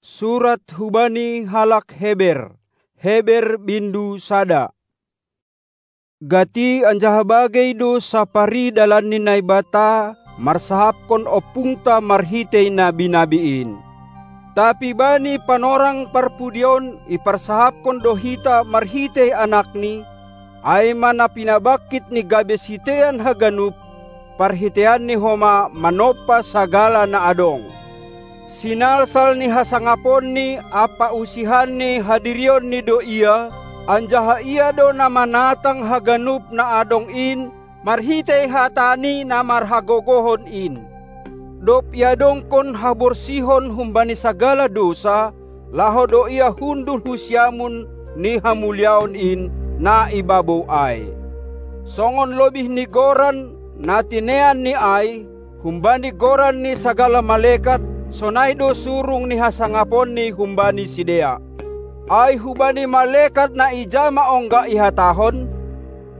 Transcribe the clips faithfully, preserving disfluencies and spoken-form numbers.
Surat hubani halak Heber. Heber bindu sada. Gati anjaha bagei do saparidalan ni Naibata marsahapkon ompungta marhitei nabi-nabi in. Tapi bani panorang parpudion iparsahapkon do hita marhitei Anakni, ai ma na pinabangkit ni gabe sitean haganup, parhiteianni homa manompa sagala na adong. Sinalsal ni hasangaponni ampa usihan ni hadirionni do Ia, anjaha Ia do na manatang haganup na adong in marhitei hataNi na marhagogohon in. Dob iadongkon haborsihon humbani sagala dousa, laho do Ia hundul hu siamun ni hamuliaon in, na i babou ai. Songon lobih ni goran na tineanNi ai, humbani goran ni sagala malekat, sonai do surung ni hasangaponni humbani sidea. Ai hubani malekat na ija ma ongga ihatahon: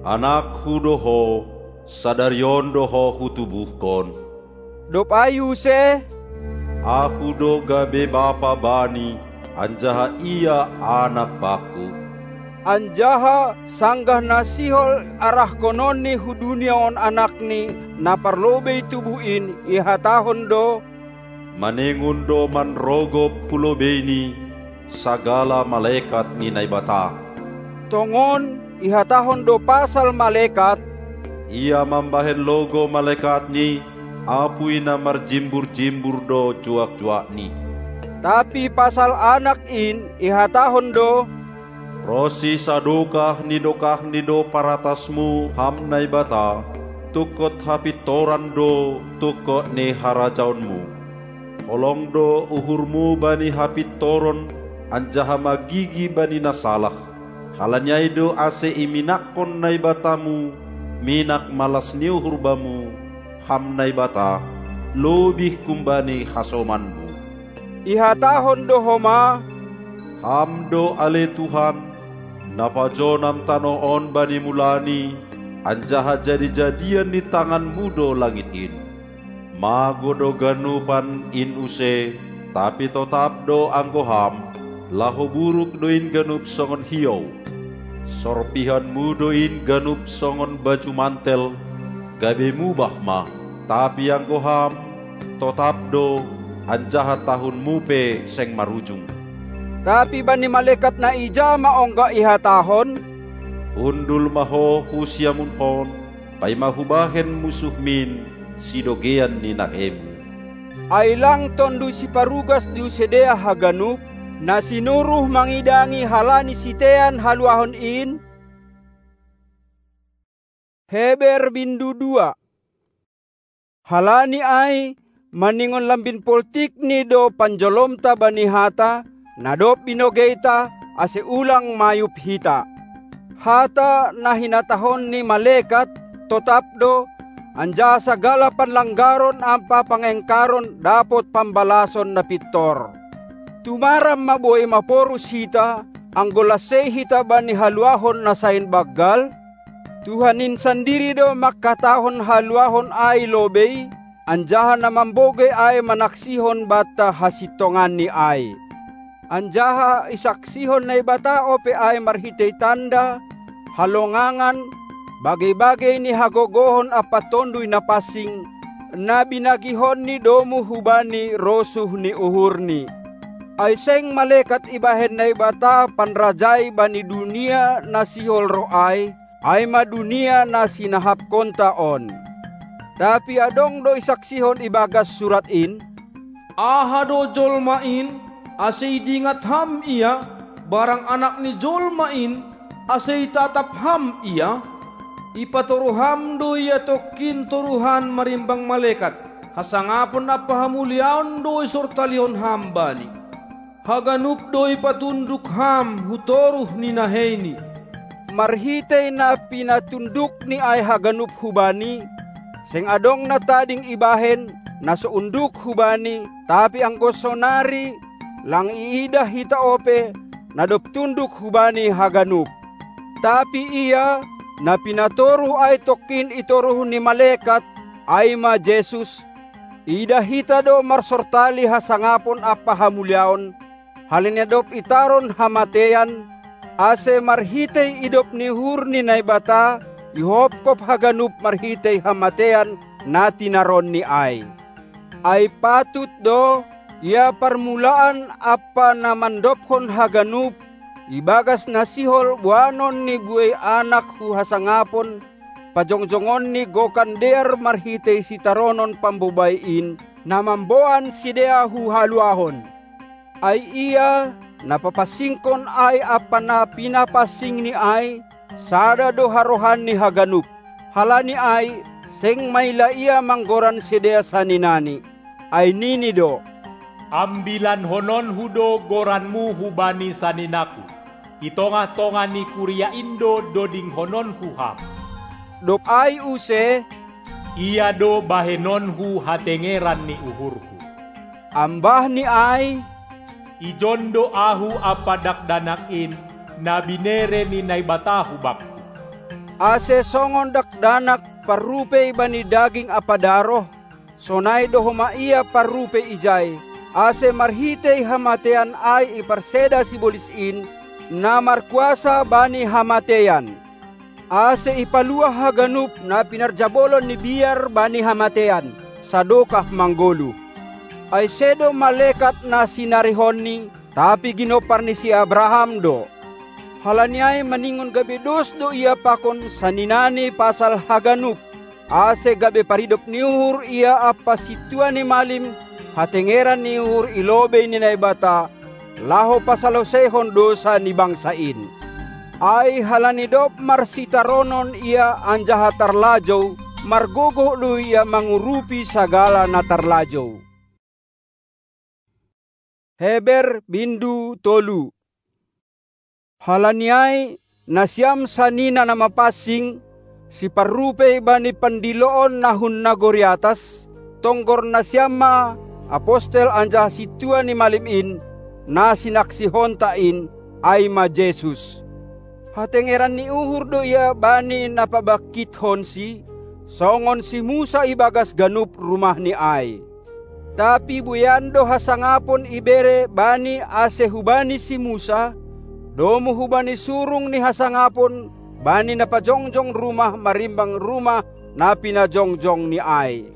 Anakku do Ho, sadari on do Ho Hutubuhkon. Dob ai use: Ahu do gabe bapa Bani, anjaha Ia anak bangku. Anjaha sanggah na sihol arahkononNi hu dunia on Anakni na parlobei tubuh in, ihatahon do: Maningon do manrogop hu lobeiNi sagala malekat ni Naibata. Tongon ihatahon do pasal malekat: Ia mambahen logou malekatNi, apui na marjimbur-jimbur do juak-juakni. Tapi pasal Anak in ihatahon do: Ronsi sadokah ni dokahni do paratasMu, Ham Naibata, tungkot hapintoran do tungkot ni harajaonMu. Holong do uhurMu bani hapintoron, anjaha magigi bani na salah. Halani ai do ase iminakkon NaibataMu minak malas ni uhur Bamu, Ham Naibata, lobih humbani hasomanMu. Ihatahon do homa: Ham do ale Tuhan, na pajonam tanoh on bani mulani, anjaha jadi-jadian ni tanganMu do langit in. Mago do ganupan in use, tapi totap do anggo Ham, laho buruk do in ganup songon hiou. SorpihanMu do in ganup songon baju mantel, gabe mubah ma, tapi anggo Ham, totap do, anjaha tahunMu pe seng marujung. Tapi bani malekat na ija ma ongga ihatahon: Hundul ma ho hu siamun on, paima hubahen musuhmin sidogeian ni nahemu. Ai lang Tonduy Siparugas di use dea haganup, na sinuruh mangidangi halani sitean haluahon in? Heber bindu dua. Halani ai, maningon lambin poltikni do panjolomta bani hata, na dob binogeita, ase ulang mayup hita. Hata na hinatahon ni malekat totap do, anjaha sagala panlanggaron ampa pangengkaron dapot pambalason na pintor. Tumaram ma boi maporus hita, anggo las sei hita bani haluahon na sain banggal? Tuhan in sandiri do mangkatahon haluahon ai lobei, anjaha na mambogei ai manaksihon banta hasintonganni ai. Anjaha isaksihon Naibata ope ai marhitei tanda, halongangan, bagei-bagei ni hagogohon ampa Tonduy Napansing, na binagihonNi domu hubani rosuh ni uhurNi. Ai seng malekat ibahen Naibata panrajai bani dunia na sihol roh ai, ai ma dunia na sinahapkonta on. Tapi adong do isaksihon ibagas surat in: Aha do jolma in, ase idingat Ham ia, barang Anak ni jolma in, ase itatap Ham ia? Ipatoru Ham do ia tongkin toruhan marimbang malekat, hasangapon ampa hamuliaon do isortalihon Ham bani. Haganup do ipatunduk Ham hu toruh ni naheini. Marhitei na pinatundukni ai haganup hu Bani, seng adong na tading ibahen, na so unduk hu Bani, tapi anggo sonari, lang iidah hita ope, na dob tunduk hu Bani haganup. Tapi Ia, na pinatoruh ai tongkin i toruh ni malekat, ai ma Jesus, iidah hita do marsortali hasangapon ampa hamuliaon, Halani na dob itaron hamatean, ase marhitei idop ni uhur ni Naibata ihopkop haganup marhitei hamatean na tinaronNi ai. Ai patut do, ia parmulaan ampa na mandophon haganup, ibagas na sihol boanon ni buei anak hu hasangapon, pajongjongonni gokan dear marhitei sitaronon pambobai in, na mamboan sidea hu haluahon. Ai ia, na papansingkon ai ampa na pinapansingni ai, sada do harohanni haganup. Halani ai, seng maila ia manggoran sidea saninani. Ai nini do: Ambilanhononhu do goranmu hubani saninaKu. I tongah-tongah ni kuria in do dodingkononKu ham. Dob ai use: Ia do bahenonhu hatengeran ni uhurHu. Ambahni ai: Ijon do Ahu ampa dakdanak in, na binere ni Naibata hubakKu. Ase songon dakdanak parrupei bani daging ampa daroh, sonai do homa ia parrupei ijai, ase marhitei hamatean ai iparseda sibolis in, na markuasa bani hamatean. Ase ipaluah haganup na pinarjabolon ni biar bani hamatean, sadokah manggoluh. Ai sedo malekat na sinarihonNi, tapi ginompar ni si Abraham do. Halani ai maningon gabe dos do ia pakon saninani pasal haganup, ase gabe paridop ni uhur ia ampa sintua ni malim hatengeran ni uhur i lobei ni Naibata, laho pasaloseihon dousa ni bangsa in. Ai halani dob marsitaronon ia anjaha tarlajou, margogoh do ia mangurupi sagala na tarlajou. Heber bindu tolu. Halani ai, nasiam sanina na mapansing, siparrupei bani pandiloon na hun nagori atas, tonggor nasiam ma apostel anjaha sintua ni malim in, na sinaksihonta in, ai ma Jesus. Hatengeran ni uhur do ia bani na pabangkithonsi, songon si Musa ibagas ganup rumahni ai. Tapi buean do hasangapon ibere bani ase hubani si Musa, domu hubani surung ni hasangapon bani na pajongjong rumah marimbang rumah na pinajongjongni ai.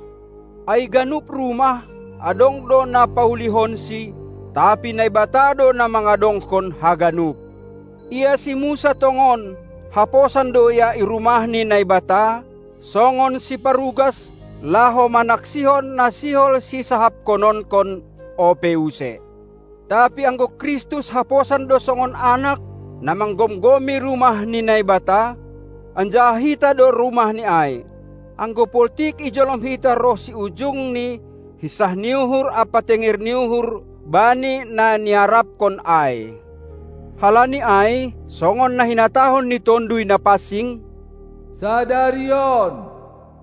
Ai ganup rumah, adong do na paulihonsi, tapi Naibata do na mangadongkon haganup. Ia si Musa tongon, haposan do ia i rumah ni Naibata, songon siparugas, laho manaksihon na sihol sisahapkononkon ope use. Tapi anggo Kristus haposan do songon anak, na manggomgomi rumah ni Naibata, anjaha hita do rumahni ai. Anggo poltik ijolom hita roh si ujungni hinsah ni uhur ampa tenger ni uhur bani na niarapkon ai. Halani ai, songon na hinatahon ni Tonduy Napansing: Sadari on,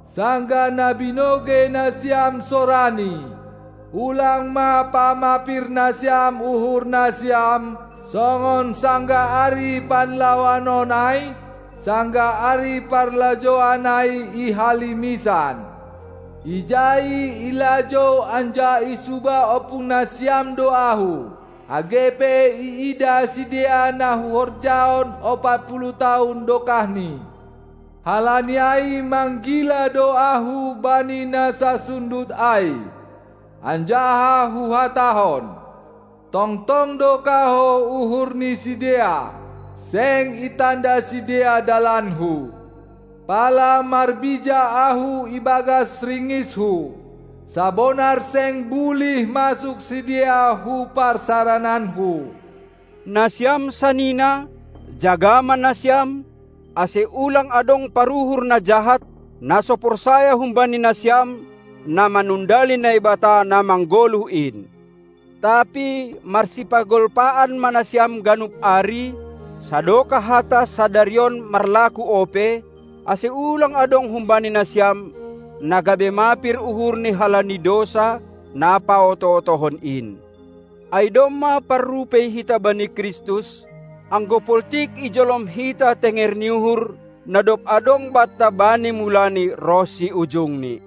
sanggah na binogei nasiam sorani, ulang ma pamapir nasiam uhur nasiam, songon sanggah ari panlaoan on ai, sanggah ari parlajouan ai i halimisan. Ijai ilajou anjaha isuba ompung nasiam do ahu, age pe iida sidea na huhorjahon opat puluh taon dokahni. Halani ai manggila do ahu bani na sasundut ai, anjaha huhatahon: Tongtong do kahou uhur ni sidea, seng itanda sidea dalanhu. Pala marbija ahu ibagas ringishu, sabonar seng bulih masuk sidea hu parsarananhu. Nasiam sanina, jaga ma nasiam, ase ulang adong paruhur na jahat, na so porsaya humbani nasiam, na manundali Naibata na manggoluh in. Tapi marsipagolpaan ma nasiam ganup ari, sadokah hata sadari on marlaku ope, ase ulang adong humbani nasiam, na gabe mapir uhur ni halani dousa, na paoto-otohon in. Ai domma parrupei hita bani Kristus, anggo poltik ijolom hita tenger ni uhur, na dob adong banta bani mulani roh si ujungni.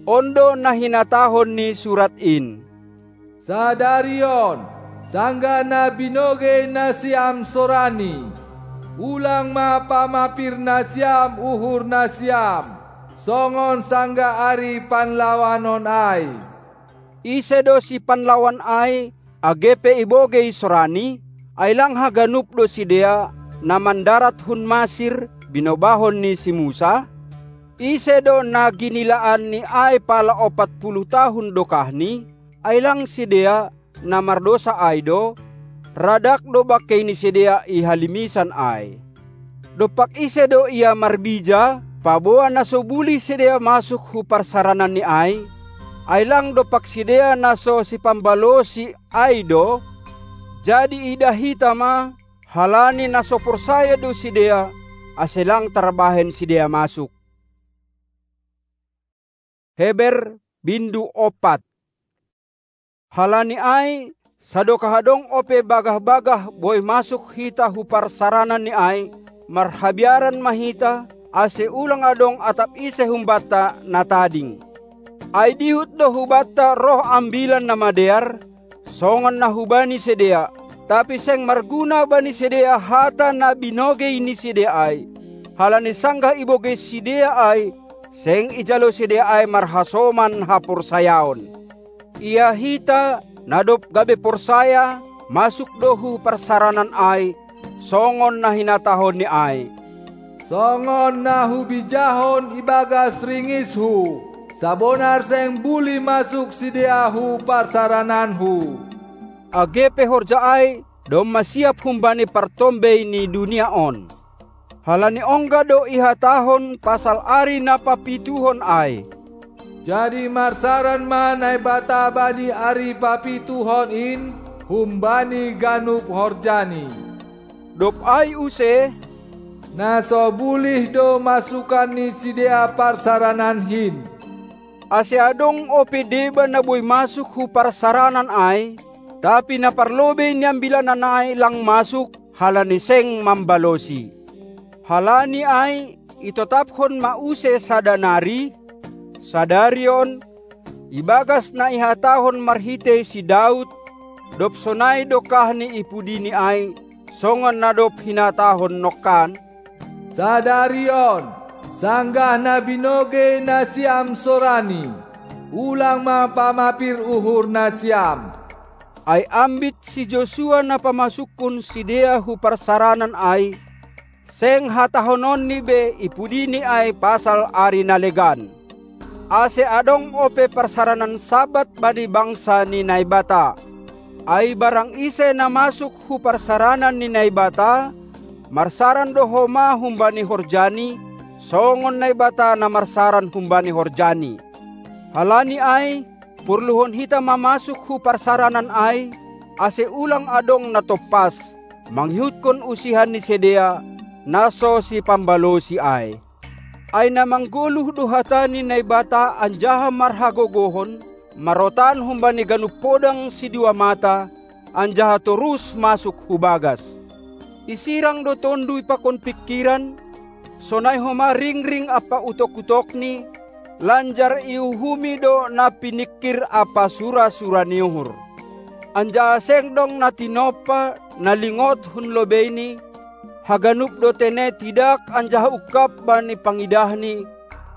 On do na hinatahon ni surat in: Sadari on, Sanggah na binogei nasiam sorani, ulang ma pamapir nasiam uhur nasiam, songon sanggah ari panlawanon ai. Ise do sipanlawan ai, age pe ibogei sorani? Ai lang haganup do sidea, na mandarat hun Masir, binobahon ni si Musa? Ise do na ginilaanni ai pala ompat puluh tahun dokahni? Ai lang sidea, na mardousa ai do? Ra dak do bangkei ni sidea i halimisan ai. Dompak ise do ia marbija, paboa na so bulih sidea masuk hu parsarananni ai? Ai lang dompak sidea na so sipambalosi ai do? Jadi idah hita ma, halani na so porsaya do sidea, ase lang tarbahen sidea masuk. Heber, bindu ompat. Halani ai, sadokah adong ope bagah-bagah boi masuk hita hu parsarananni ai, marhabiaran ma hita, ase ulang adong atap ise humbanta na tading. Ai dihut do hubanta roh Ambilan Namadear, songon na hubani sidea, tapi seng marguna bani sidea hata na binogei ni sidea ai, halani sanggah ibogei sidea ai, seng ijalo sidea ai marhasoman haporsayaon. Ia hita, na dob gabe porsaya, masuk do hu parsaranan ai, songon na hinatahonni ai. Songon na hubijahon ibagas ringishu, sabonar seng bulih masuk sidea hu parsarananhu. Age pe horja ai, domma siap humbani partombei ni dunia on. Halani ongga do ihatahon pasal ari na papituhon ai. Jadi marsaran ma Naibata bani ari papituhon in, humbani ganup horjani. Dob ai use, na so bulih do masukan ni sidea parsaranan hin. Ase adong ope deba na boi masuk hu parsaranan ai, tapi na parlobei ni ambilanan ai lang masuk, halani seng mambalosi. Halani ai, itotapkon ma use sada nari, sadari on, ibagas na ihatahon marhitei si Daud, dob sonai dokahni i pudini ai, songon na dob hinatahon nongkan. Sadari on, sanggah na binogei nasiam sorani, ulang ma pamapir uhur nasiam. Ai ambit si Josua na pamasukkon sidea hu parsaranan ai, seng hatahononni be i pudini ai pasal ari na legan. Ase adong ope parsaranan Sabat bani bangsa ni Naibata. Ai barang ise na masuk hu parsaranan ni Naibata, marsaran do homa humbani horjani, songon Naibata na marsaran humbani horjani. Halani ai, porluhon hita ma masuk hu parsaranan ai, ase ulang adong na tompas, mangihutkon usihan ni sidea, na so sipambalosi ai. Ai na manggoluh do hata ni Naibata anjaha marhagogohon, marotan humbani ganup podang sidua mata, anjaha torus masuk hu bagas. Isirang do tonduy pakon pingkiran, sonai homa ringring ampa utok-utokni, lanjar iuhumi do na piningkir ampa sura-sura ni uhur. Anjaha seng dong na tinompa, na lingot hun lobeini, haganup do tene tidak anjaha ungkap bani pangidahni,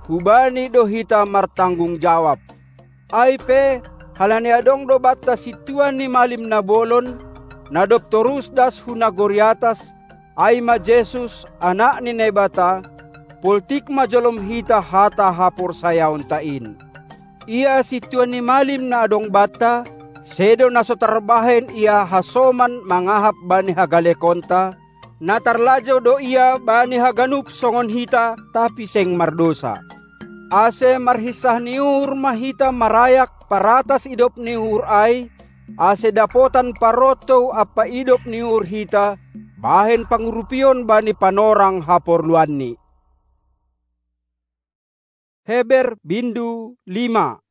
hubani do hita martanggung jawab. Ai pe, halani adong do banta sintua ni malim na bolon, na dob torus das hu nagori atas, ai ma Jesus, Anak ni Naibata, poltik ma jolom hita hata haporsayaonta in. Ia sintua ni malim na adong banta, sedo na so tarbahen ia hasoman mangahap bani hagalekonta, na tarlajou do ia bani haganup songon hita, tapi seng mardousa. Ase marhinsah ni uhur ma hita marayak paratas idop ni uhur ai, ase dapotan parontou ampa idop ni uhur hita, bahen pangurupion bani panorang haporluanni. Heber bindu lima.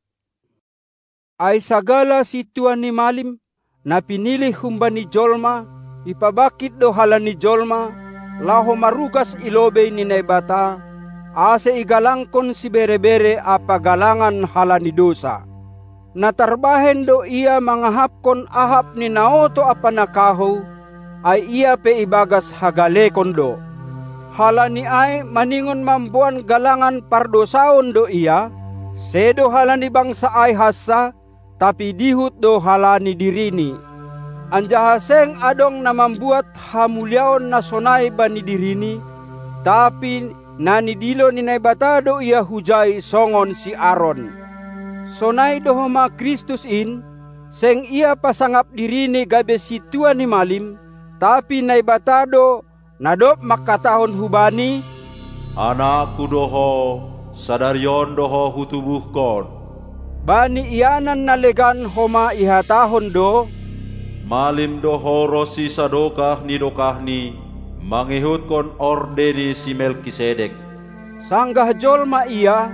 Ai sagala sintua ni malim, na pinilih humbani jolma, ipabangkit do halani jolma, laho marugas i lobei ni Naibata, ase igalangkon sibere-bere ampa galangan halani dousa. Na tarbahen do ia mangahapkon ahap ni na oto ampa na kahou, ai ia pe ibagas hagalekon do. Halani ai maningon mamboan galangan pardousaon do ia, sedo halani bangsa ai hansa, tapi dihut do halani dirini. Anjaha seng adong na mambuat hamuliaon na sonai bani dirini, tapi na nidilo ni Naibata do ia hujai songon si Aron. Sonai do homa Kristus in, seng ia pasangap dirini gabe sintua ni malim, tapi Naibata do, na dob mangkatahon hubani: "Anakku do ho, sadari on do ho hutubuhkon." Bani ianan na legan homa ihatahon do: "Malim do ho ronsi sadokah ni dokahni, mangihutkon orde ni si Melkisedek." Sanggah jolma ia,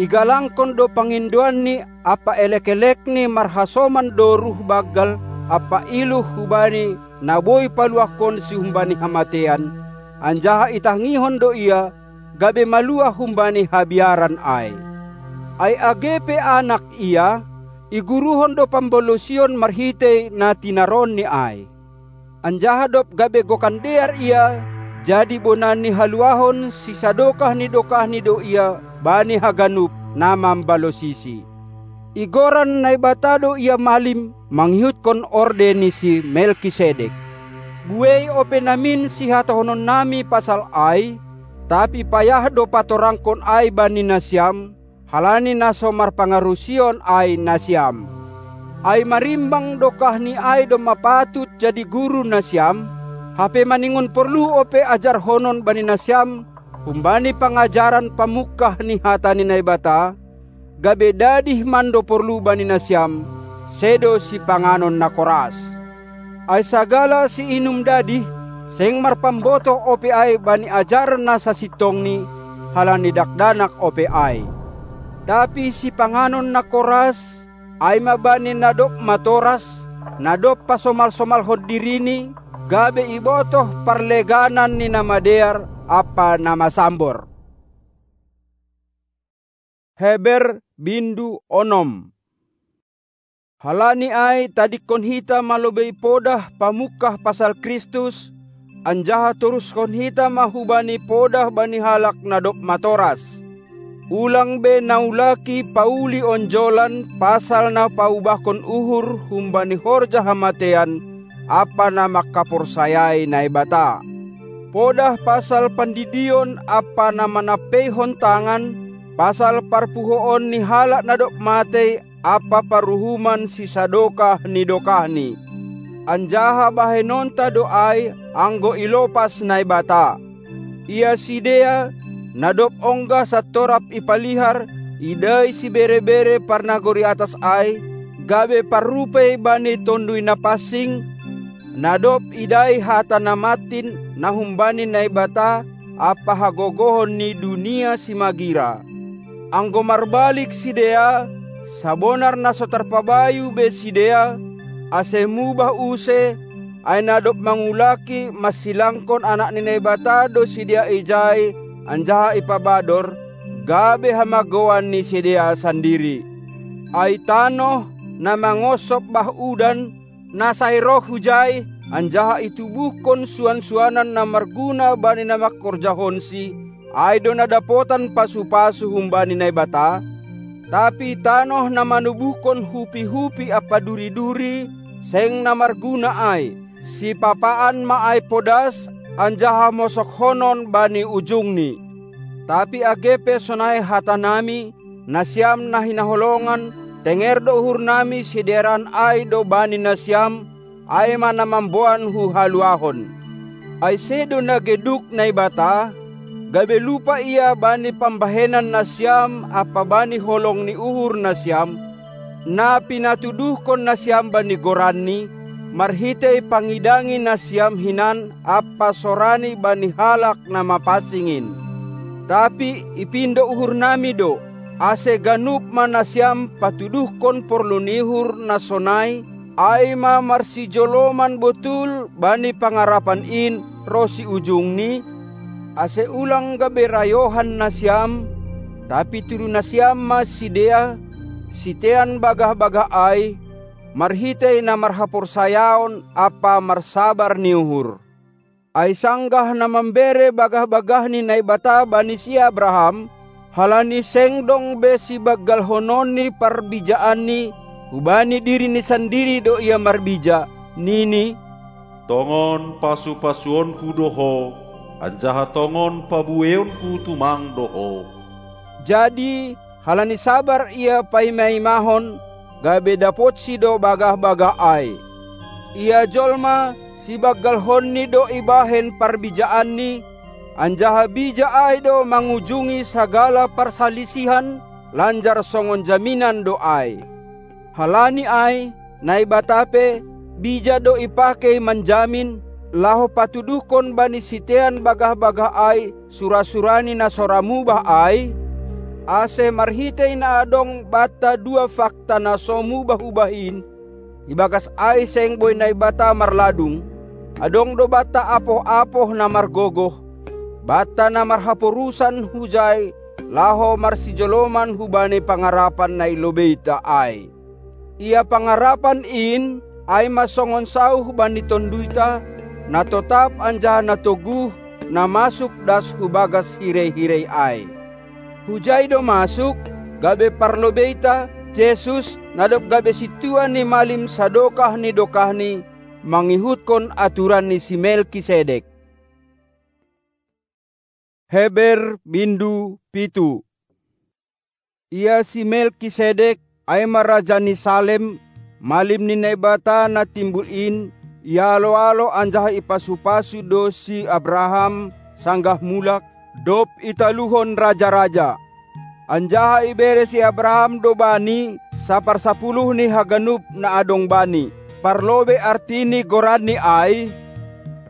igalangkon do pangindoanni ampa elek-elekni marhasoman do ruh banggal ampa iluh hubani na boi paluahkonsi humbani hamatean, anjaha itangihon do ia, gabe maluah humbani habiaran ai. Ai age pe anak ia, iguruhon do pambalosion marhitei na tinaroonni ai. Anjaha dob gabe gokan dear ia, jadi bona ni haluahon sisadokah ni dokahni do ia bani haganup na mambalosisi. Igoran Naibata do ia malim mangihutkon orde ni si Melkisedek. Buei ope namin sihatahononnami pasal ai, tapi payah do patorangkon ai bani nasiam, halani na so marpangarusion ai nasiam. Ai marimbang dokahni ai domma patut jadi guru nasiam, hape maningon porlu ope ajarhonon bani nasiam, humbani pangajaran pamungkah ni hata ni Naibata, gabe dadih mando porlu bani nasiam, sedo sipanganon na koras. Ai sagala siinum dadih, seng marpambotoh ope ai bani ajaran na sasintongni, halani dakdanak ope ai. Tapi sipanganon na koras, ai ma bani na dob matoras, na dob pasomal-somalhon dirini, gabe ibotoh parleganan ni na madear ampa na masambor. Heber bindu onom. Halani ai tadingkon hita ma lobei podah pamungkah pasal Kristus, anjaha toruskon hita ma hubani podah bani halak na dob matoras. Ulang be naulaki pauli onjolan pasal na paubahkon uhur humbani horja hamatean ampa na mangkaporsayai Naibata. Podah pasal pandidion ampa na manampeihon tangan, pasal parpuhoon ni halak na dob matei ampa paruhuman sisadokah ni dokahni. Anjaha bahenonta do ai anggo ilopas Naibata. Ia sidea, na dob ongga santorap ipalihar, idai sibere-bere parnagori atas ai, gabe parrupei bani Tonduy Napansing, na dob idai hata na mantin na humbani Naibata ampa hagogohon ni dunia simagira. Anggo marbalik sidea, sabonar na so tarpabayu be sidea, ase mubah use, ai na dob mangulaki mansilangkon Anak ni Naibata do sidea ijai anjaha ipabador, gabe hamagoan ni sidea sandiri. Ai tanoh, na mangoshop bah udan, na sai roh hujai, anjaha itubuhkon suan-suanan na marguna bani na mangkorjahonsi, ai do na dapotan pasu-pasu humbani Naibata, tapi tanoh na manubuhkon hupi-hupi ampa duri-duri, seng na marguna ai, sipapaan ma ai podas, anjaha mosokhonon bani ujungni. Tapi age pe sonai hatanami, nasiam na hinaholongan, tenger do uhurnami sidearan ai do bani nasiam, ai ma na mamboan huhaluahon. Ai sedo na geduk Naibata, gabe lupa Ia bani pambahenan nasiam ampa bani holong ni uhur nasiam, na pinatuduhkon nasiam bani goranNi, marhitei pangidangi nasiam hinan ampa sorani bani halak na mapansing in. Tapi ipindo uhurnami do, ase ganup ma nasiam patuduhkon porlu ni uhur na sonai, ai ma marsijoloman botul bani pangarapan in ronsi ujungni, ase ulang gabe rayohan nasiam, tapi tudu nasiam ma sidea, sitean bagah-bagah ai, marhitei na marhaporsayaon ampa marsabar ni uhur. Ai sanggah na mambere bagah-bagah ni Naibata bani si Abraham, halani seng dong be sibanggalhonon ni parbijaanni, hubani dirini sandiri do ia marbija, nini: Tongon pasu-pasuonku do ho, anjaha tongon pabueonku tumang do ho. Jadi, halani sabar ia paima-imahon, gabe dapotsi do bagah-bagah ai. Ia jolma sibanggalhonni do ibahen parbijaanni, anjaha bija ai do mangujungi sagala parsalisihan, lanjar songon jaminan do ai. Halani ai, Naibata pe, bija do ipakei manjamin, laho patuduhkon bani sitean bagah-bagah ai sura-surani na so ra mubah ai, ase marhitei na adong banta dua fakta na so mubah-ubah in, ibagas ai seng boi Naibata marladung, adong do banta apoh-apoh na margogoh, banta na marhaporusan hujai laho marsijoloman hubani pangarapan na i lobeita ai. Ia pangarapan in ai ma songon sauh bani tonduita, na totap anjaha na toguh, na masuk das hu bagas hirei-hirei ai. Hujai do masuk, gabe parlobeita, Jesus, na dob gabe sintua ni malim sadokah ni dokahni, mangihutkon aturan ni si Melkisedek. Heber bindu pitu. Ia si Melkisedek, ai ma raja ni Salem, malim ni Naibata na timbul in, ialo-alo anjaha ipasu-pasu do si Abraham, sanggah mulak, dob italuhon raja-raja. Anjaha ibere si Abraham do bani saparsapuluh ni haganup na adong bani, parlobei artini goranni ai,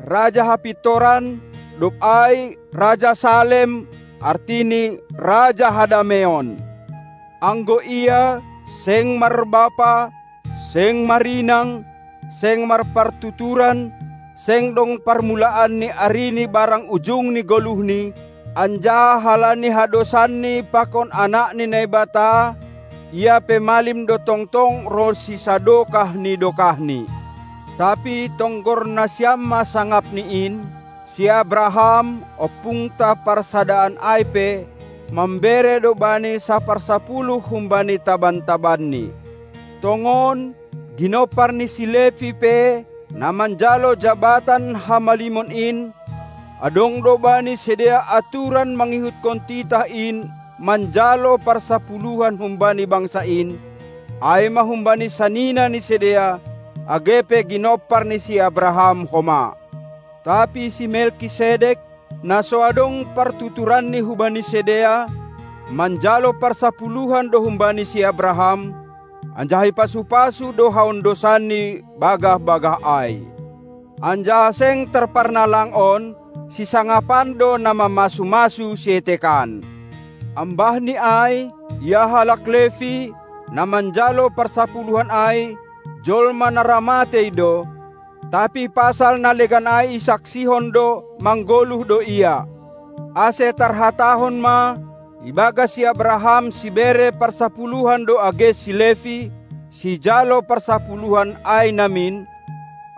raja hapintoran, dob ai raja Salem, artini raja hadameon. Anggo ia seng marbapa, seng marinang, seng marpartuturan, seng dong parmulaan ni arini barang ujung ni goluhni, anjaha halani hadosanni pakon Anak ni Naibata, ia pe malim do tongtong ronsi sadokah ni dokahni. Tapi tonggor nasiam ma sangapni in, si Abraham, ompungta parsadaan ai pe, mambere do bani saparsapuluh humbani taban-tabanni. Tongon, ginompar ni si Levi pe, na manjalo jabatan hamalimon in, adong do bani sidea aturan mangihutkon titah in manjalo parsapuluhan humbani bangsa in, ai ma humbani sanina ni sidea, age pe ginompar ni si Abraham homa. Tapi si Melkisedek, na so adong partuturanni hubani sidea, manjalo parsapuluhan do humbani si Abraham, anjaha ipasu-pasu do haondosanni bagah-bagah ai. Anjaha seng tarparnalang on, sisangapan do na mamasu-masu sietekan. Ambahni ai, ia halak Levi, na manjalo parsapuluhan ai, jolma na ra matei do, tapi pasal na legan ai isaksihon do, manggoluh do ia. Ase tarhatahon ma, ibagas si Abraham sibere parsapuluhan do age si Levi, sijalo parsapuluhan ai namin,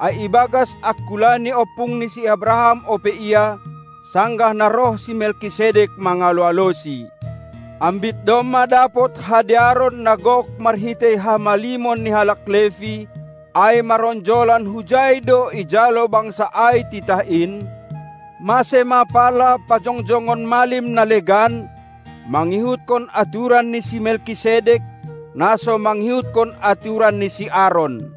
ai ibagas angkula ni ompung ni si Abraham ope ia, sanggah na roh si Melkisedek mangalo-alosi. Ambit domma dapot hadearon na gok marhitei hamalimon ni halak Levi, ai maronjolan hujai do ijalo bangsa ai titah in, mase ma pala pajongjongon malim na legan, mangihutkon aturan ni si Melkisedek, na so mangihutkon aturan ni si Aron.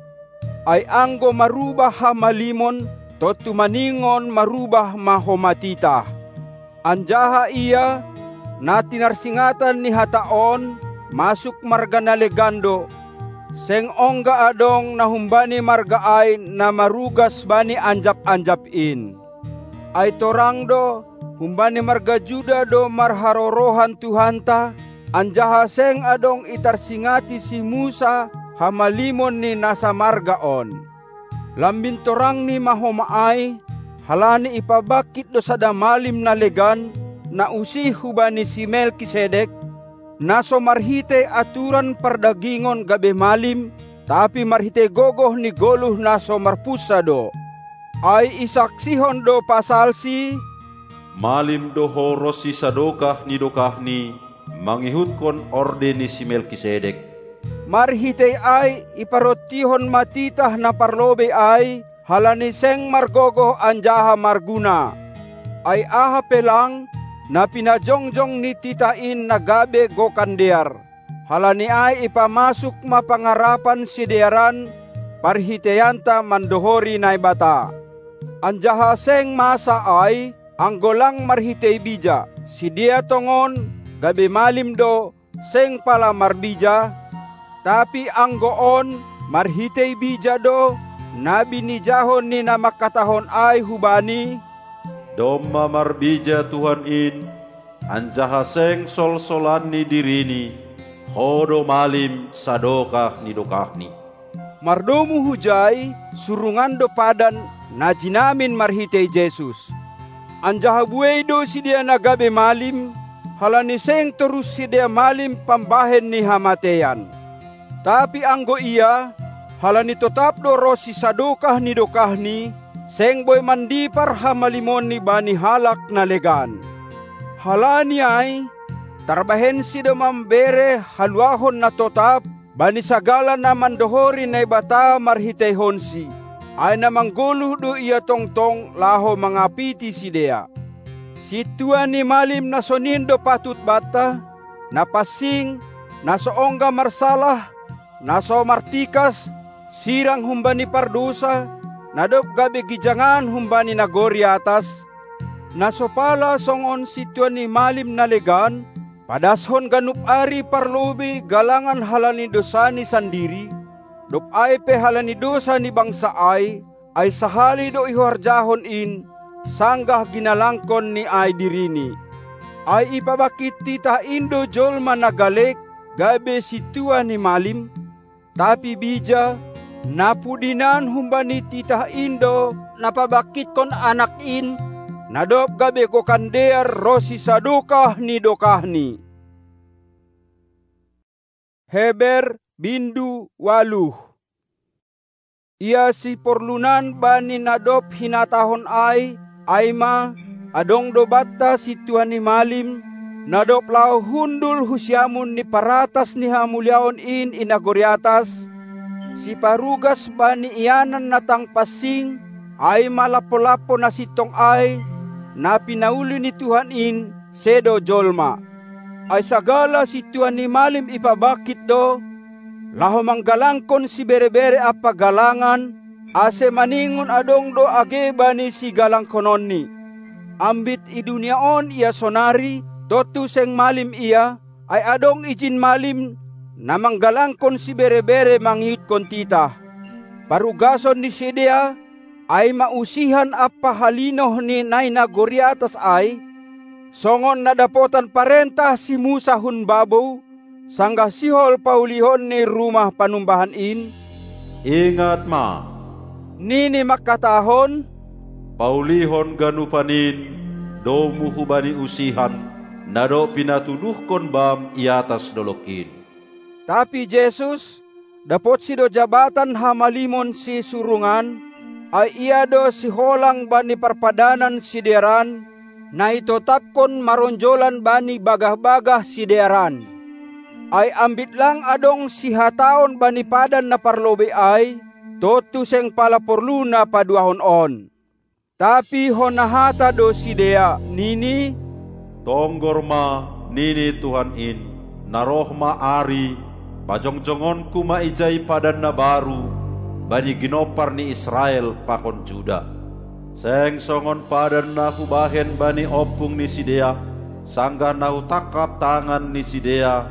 Ai anggo marubah hamalimon, tontu maningon marubah ma homa titah. Anjaha ia, na tinarsingatan ni hata on, masuk marga na legan do, seng ongga adong na humbani marga ai na marugas bani anjap-anjap in. Ai torang do, humbani marga Juda do marharorohan Tuhanta, anjaha seng adong itarsingati si Musa hamalimon ni na samarga on. Lambin torangni ma homa ai, halani ipabangkit do sada malim na legan, na usih hubani si Melkisedek, na so marhitei aturan pardagingon gabe malim, tapi marhitei gogoh ni goluh na so marpunsa do. Ai isaksihon do pasalsi: Malim do ho ronsi sadokah ni dokahni, mangihutkon orde ni si Melkisedek. Marhitei ai iparrontihon ma titah na parlobei ai, halani seng margogoh anjaha marguna. Ai aha pe lang, na pinajongjong ni titah in na gabe gokan dear. Halani ai ipamasuk ma pangarapan sidearan parhiteianta mandohori Naibata. Anjaha seng masa ai, anggo lang marhitei bija, sidea tongon, gabe malim do, seng pala marbija, tapi anggo on, marhitei bija do, na binijahon ni na mangkatahon ai hubani: Domma marbija Tuhan in, anjaha seng solsolan ni dirini, ho do malim sadokah ni dokahni. Mardomu hujai, surungan do padan, na jinamin marhitei Jesus. Anjaha buei do sidea na gabe malim, halani seng torus sidea malim pambahen ni hamateian. Tapi anggo ia, halani totap do ronsi sadokah ni dokahni, seng boi mandipar hamalimonni bani halak na legan. Halani ai, tarbahensi do mambere haluahon na totap bani sagala na mandohori Naibata marhiteihonsi, ai na manggoluh do ia tongtong laho mangapiti sidea. Sintua ni malim na sonin do patut banta, na pansing, na so ongga marsalah, na so martikas, sirang humbani pardousa, na dob gabe gijangan humbani nagori atas, na so pala songon sintua ni malim na legan, padashon ganup ari parlobei galangan halani dousani sandiri, dob ai pe halani dousa ni bangsa ai, ai sahali do ihorjahon in, sanggah ginalangkon ni ai dirini. Ai ipabangkit titah in do jolma na galek, gabe sintua ni malim, tapi bija, na pudinan humbani titah in do na pabangkitkon anak in, na dob gabe gokan dear ronsi sadokah ni dokahni. Heber bindu ualuh. Ia siporlunan bani na dob hinatahon ai, ai ma, adong do banta sintua ni malim, na dob laho hundul hu siamun ni paratas ni hamuliaon in i nagori atas, siparugas bani ianan na tang pansing, ai ma lampo-lampo na sintong ai, na pinauli ni Tuhan in, sedo jolma. Ai sagala sintua ni malim ipabangkit do, laho manggalangkon sibere-bere ampa galangan, ase maningon adong do age bani sigalangkononni. Ambit i dunia on ia sonari, tontu seng malim ia, ai adong ijin malim, na manggalangkon sibere-bere mangihutkon titah. Parugason ni sidea, ai ma usihan ampa halinoh ni na i nagori atas ai, songon na dapotan parentah si Musa hun babou, sanggah sihol paulihon ni rumah panumbahan in: Ingat ma, nini mangkatahon: Paulihon ganupan in, domu hubani usihan, na dob pinatuduhkon bam i atas dolog in. Tapi Jesus, dapotsi do jabatan hamalimon sisurungan, ai ia do siholang bani parpadanan sidearan, na itotapkon maronjolan bani bagah-bagah sidearan. Ai ambit lang adong sihataon bani padan na parlobei ai, tontu seng pala porluna paduahon on. Tapi hona hata do sidea, nini: Tonggor ma, nini Tuhan in, na roh ma ari, pajongjongonku ma ijai padan na baru, bani ginompar ni Israel pakon Juda. Seng songon padan na hubahen bani ompung ni sidea, sanggah na hutangkap tangan ni sidea,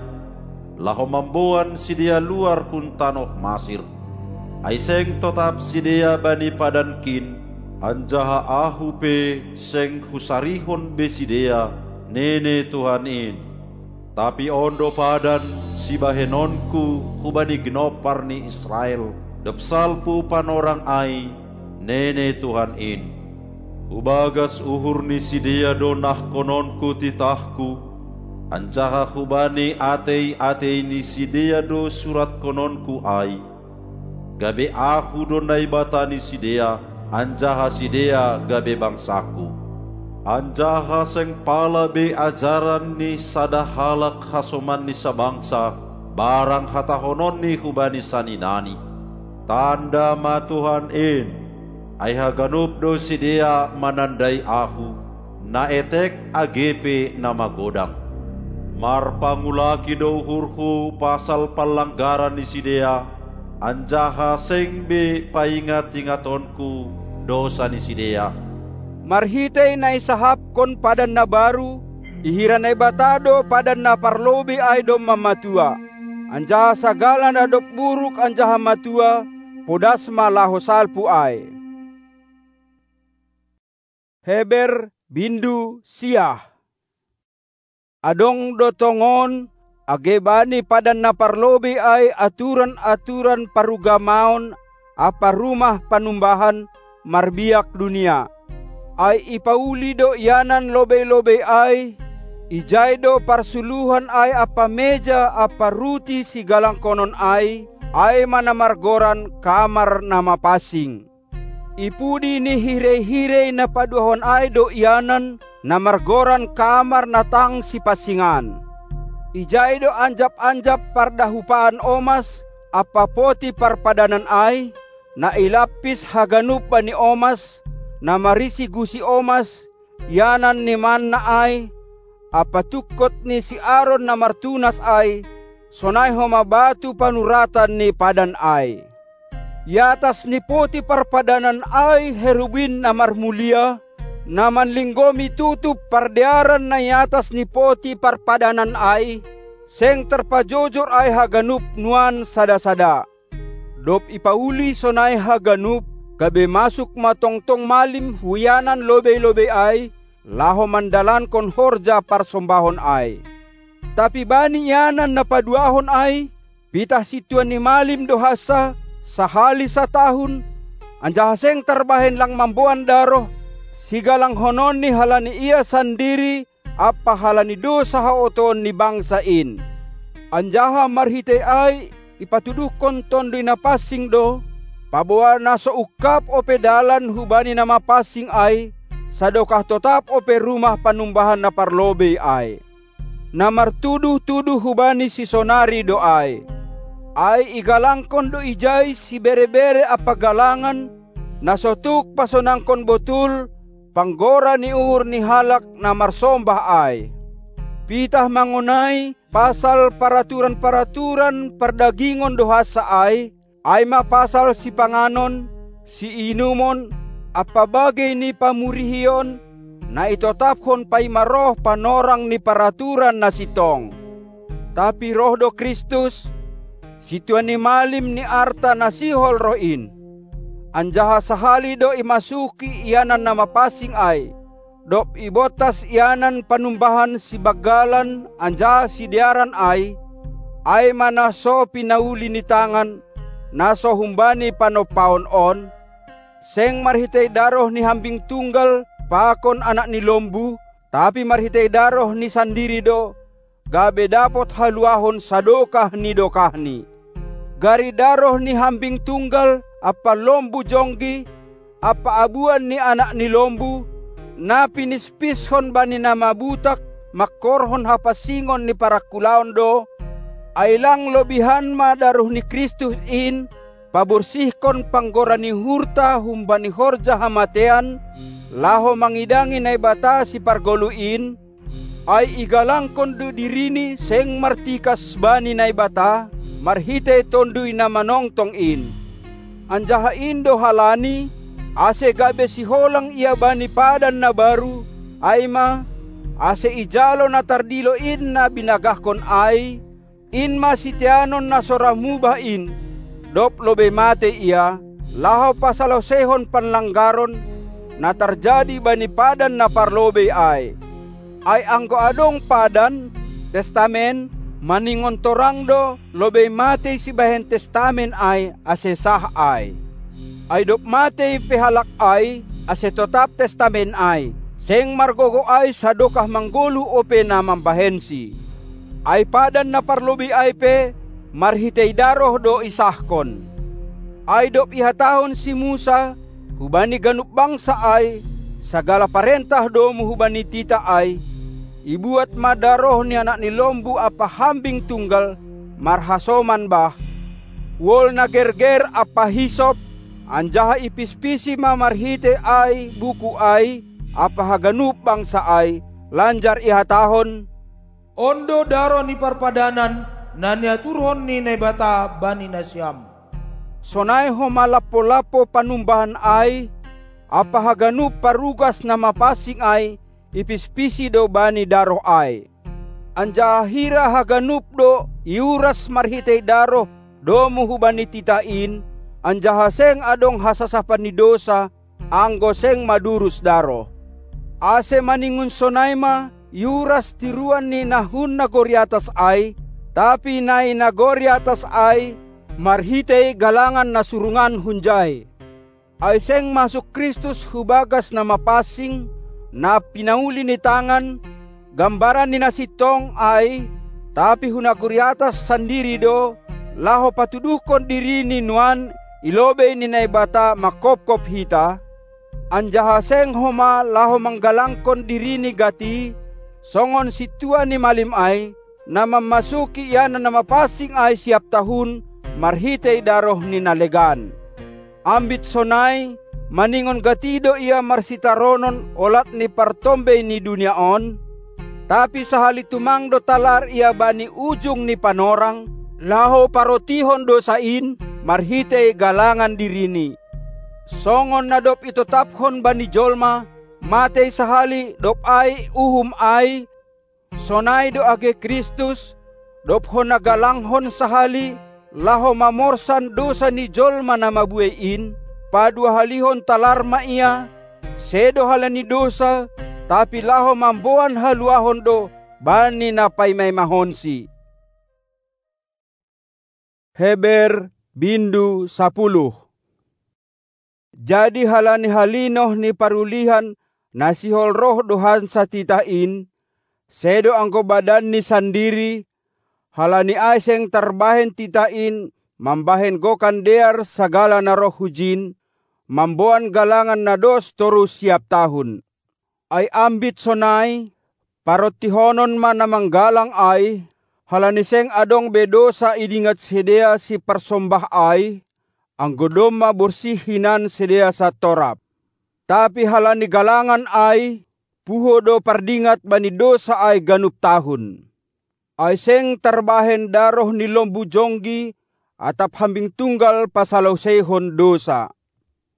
laho mamboan sidea luar hun tanoh Masir. Ai seng totap sidea bani padankin, anjaha Ahu pe seng husarihon be sidea, nini Tuhan in. Tapi on do padan sibahenonku hubani ginompar ni Israel, dob salpu panorang ai, nini Tuhan in. Hubagas uhur ni sidea do nahkononku titahku, Anjaha hubani atei-atei ni sidea do suratkononku ai, gabe Ahu do Naibata ni sidea, anjaha sidea gabe bangsaku. Anjaha seng pala be ajaran ni sada halak hasoman ni sabangsa, barang hatahononni hubani saninani: Tanda ma Tuhan in, ai haganup do sidea manandai Ahu, na etek age pe na magodang. Marpangulaki do uhurhu pasal panlanggaran ni sidea, anjaha seng be paingat-ingatonku dosa ni sidea. Marhitei na isahapkon padan na baru, ihira Naibata do padan na parlobei ai domma matua, anjaha sagala na dob buruk anjaha matua, podas ma laho salpu ai. Heber bindu siah. Adong do tongon, age bani padan na parlobei ai aturan-aturan parugamaon ampa rumah panumbahan marbiak dunia. Ai ipauli do ianan lobei-lobei ai, ijai do parsuluhan ai ampa meja ampa ruti sigalangkonon ai, ai ma na margoran kamar na mapansing. I pudi ni hirei-hirei na paduahon ai do ianan, na margoran kamar na tang sipansingan. Ijai do anjap-anjap pardahupaan omas ampa poti parpadanan ai, na ilampis haganup bani omas, na marisi gusi omas, ianan ni manna ai, ampa tungkot ni si Aron na martunas ai, sonai homa batu panuratan ni padan ai. I atas ni poti parpadanan ai herubin na marmulia, na manlinggomi tutup pardearan na i atas ni poti parpadanan ai, seng tarpajojor ai haganup nuan sada-sada. Dob ipauli sonai haganup, gabe masuk ma tongtong malim hu ianan lobei-lobei ai, laho mandalankon horja parsombahon ai. Tapi bani ianan na paduahon ai, pitah sintua ni malim do hansa, sahali satahun, anjaha seng tarbahen lang mamboan daroh, sigalangkononni halani ia sandiri ampa halani dousa haotoon ni bangsa in. Anjaha marhitei ai ipatuduhkon Tonduy Napansing do, paboa na so ungkap ope dalan hubani na mapansing ai, sadokah totap ope rumah panumbahan na parlobei ai. Na martuduh-tuduh hubani sisonari do ai. Ai igalangkon do ijai sibere-bere ampa galangan, na so tuk pasonangkon botul, panggora ni uhur ni halak na marsombah ai. Pitah mangonai pasal paraturan-paraturan pardagingon do hansa ai, ai ma pasal sipanganon, siinumon, ampa bagei ni pamurihion, na itotaphon paima roh panorang ni paraturan na sintong. Tapi roh do Kristus, sintua ni malim ni arta na sihol roh in. Anjaha sahali do imasuki ianan na mapansing ai, dob ibontas ianan panumbahan sibanggalan anjaha sidearan ai, ai ma na so pinauli ni tangan, na so humbani panompaon on, seng marhitei daroh ni hambing tunggal pakon anak ni lombu, tapi marhitei daroh ni sandiri do, gabe dapot haluahon sadokah ni dokahni. Gari daroh ni hambing tunggal ampa lombu jonggi, ampa abuan ni anak ni lombu, na pinispishon bani na mabutak mangkorhon hapansingon ni parangkulaon do, ai lang lobihan ma daroh ni Kristus in, paborsihkon panggora ni uhurta humbani horja hamatean, laho mangidangi Naibata Sipargoluh in, ai igalangkon do dirini seng martikas bani Naibata, marhitei Tonduy na manongtong in. Anjaha in do halani, ase gabe siholang ia bani padan na baru, ai ma, ase ijalo na tardilo in na binagahkon ai, in ma siteanon na so ra mubah in, dob lobei matei ia, laho pasaloseihon panlanggaron, na tarjadi bani padan na parlobei ai. Ai anggo adong padan, testamen, maningon torang do, lobei matei sibahen testamen ai, ase sah ai. Ai dob matei pe halak ai, ase totap testamen ai. Seng margogo ai sadokah manggoluh ope na mambahensi. Ai padan na parlobei ai pe marhitei daroh do isahkon. Ai dob ihatahon si Musa hubani ganup bangsa ai, sagala parentah domu hubani titah ai, ibuat ma daroh ni Anak ni Lombu ampa hambing tunggal marhasoman bah, wol na gerger ampa hisop, anjaha ipispisi ma marhitei ai buku ai ampa haganup bangsa ai, lanjar ihatahon: On do daroh ni parpadanan na niaturhon ni Naibata bani nasiam. Sonai homa lampo-lampo panumbahan ai ampa haganup parugas na mapansing ai ipispisi do bani daroh ai. Anjaha hira haganup do iuras marhitei daroh domu hubani titah in, anjaha seng adong hasasapan ni dousa, anggo seng madurus daroh. Ase maningon sonai ma iuras tiruan ni na hun nagori atas ai, tapi na i nagori atas ai marhitei galangan na surungan hunjai. Ai seng masuk Kristus hu bagas na mapansing, na pinauli ni tangan, gambaran ni na sintong ai, tapi hu nagori atas sandiri do, laho patuduhkon diriNi nuan i lobei ni Naibata manghophop hita, anjaha seng homa laho manggalangkon diriNi gati, songon sintua ni malim ai, na mamasuki ianan na mapansing ai siap tahun marhitei daroh ni na legan. Ambit sonai, maningon gati do ia marsitaronon olat ni partombei ni dunia on, tapi sahali tumang do talar ia bani ujung ni panorang, laho parotihon dousa in marhitei galangan dirini. Songon na dob itotapkon bani jolma, matei sahali dob ai uhum ai, sonai do age Kristus, dob hona galanghon sahali, laho mamorsan dousa ni jolma na mabuei in, paduahalihon talar ma ia, sedo halani dousa, tapi laho mamboan haluahon do bani na paimaimahonsi. Heber bindu sapuluh. Jadi halani halinoh ni parulihan na sihol roh do hansa titah in, sedo anggo badanni sandiri, halani ai seng tarbahen titah in mambahen gokan dear sagala na roh hujin, mamboan galangan na dos torus siap tahun. Ai ambit sonai, parontihonon ma na manggalang ai, halani seng adong be dousa idingat sidea siparsombah ai, anggo domma borsih hinan sidea santorap. Tapi halani galangan ai, puho do pardingat bani dousa ai ganup tahun. Ai seng tarbahen daroh ni lombu jonggi atap hambing tunggal pasaloseihon dousa.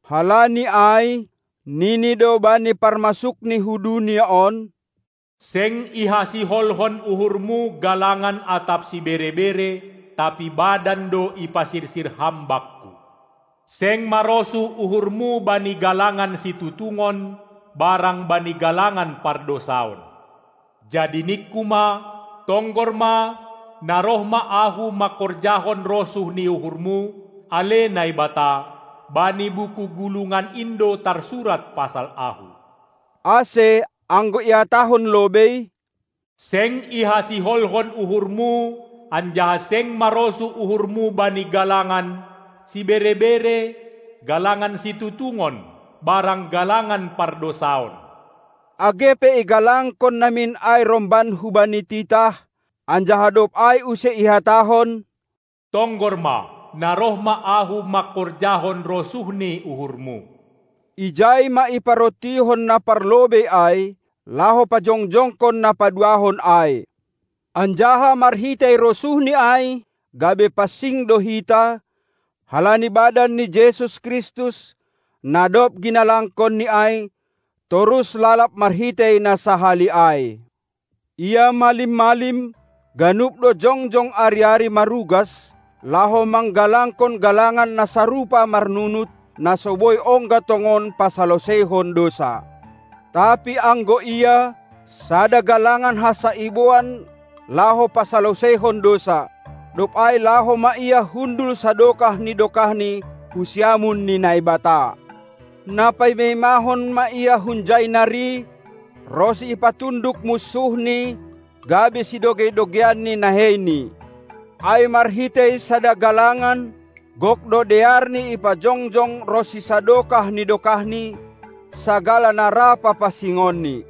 Halani ai, nini do bani parmasukni hu dunia on: Seng ihasiholhon uhurmu galangan atap sibere-bere, tapi badan do ipasirsir Ham bakku. Seng marosuh uhurmu bani galangan situtungon, barang bani galangan pardosaon. Jadi ningku ma: Tonggor ma, na roh ma Ahu mangkorjahon rosuh ni uhurmu, ale Naibata, bani buku gulungan in do tarsurat pasal Ahu. Ase, anggo ihatahon lobei: Seng ihasiholhon uhurmu, anjaha seng marosuh uhurmu bani galangan sibere-bere, galangan situtungon, barang galangan pardosaon. Age pe igalangkon namin ai romban hubani titah, anjaha dob ai use ihatahon: Tonggor ma, na roh ma Ahu mangkorjahon rosuh ni uhurmu. Ijai ma iparontihon na parlobei ai, laho pajongjongkon na paduahon ai. Anjaha marhitei rosuhni ai, gabe pansing do hita, halani badan ni Jesus Kristus, na dob ginalangkonNi ai, torus lalap marhitei na sahali ai. Ia malim-malim, ganup do jongjong ari-ari marugas, laho manggalangkon galangan na sarupa marnunut, na so boi ongga tongon pasaloseihon dousa. Tapi anggo ia, sada galangan hansa iboan laho pasaloseihon dousa, dob ai laho ma ia hundul sadokah ni dokahni hu siamun ni Naibata. Na paimaimahon ma ia hunjai nari, ronsi ipatunduk munsuhni, gabe sidogei-dogeianni naheiNi. Ai marhitei sada galangan, gok do dearni ipajongjong ronsi sadokah ni dokahni, sagala na ra papansingonni.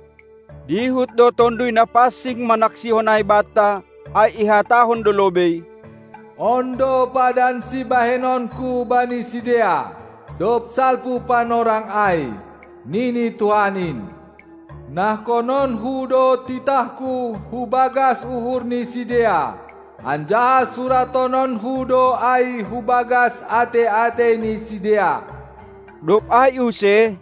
Dihut do Tonduy Napansing manaksihon ai banta, ai ihatahon do lobei: On do padan sibahenonKu bani sidea, dob salpu panorang ai, nini Tuhan in. NahkononKu do titahKu hu bagas uhur ni sidea, anjaha suratononKu do ai hu bagas atei-atei ni sidea. Dob ai use,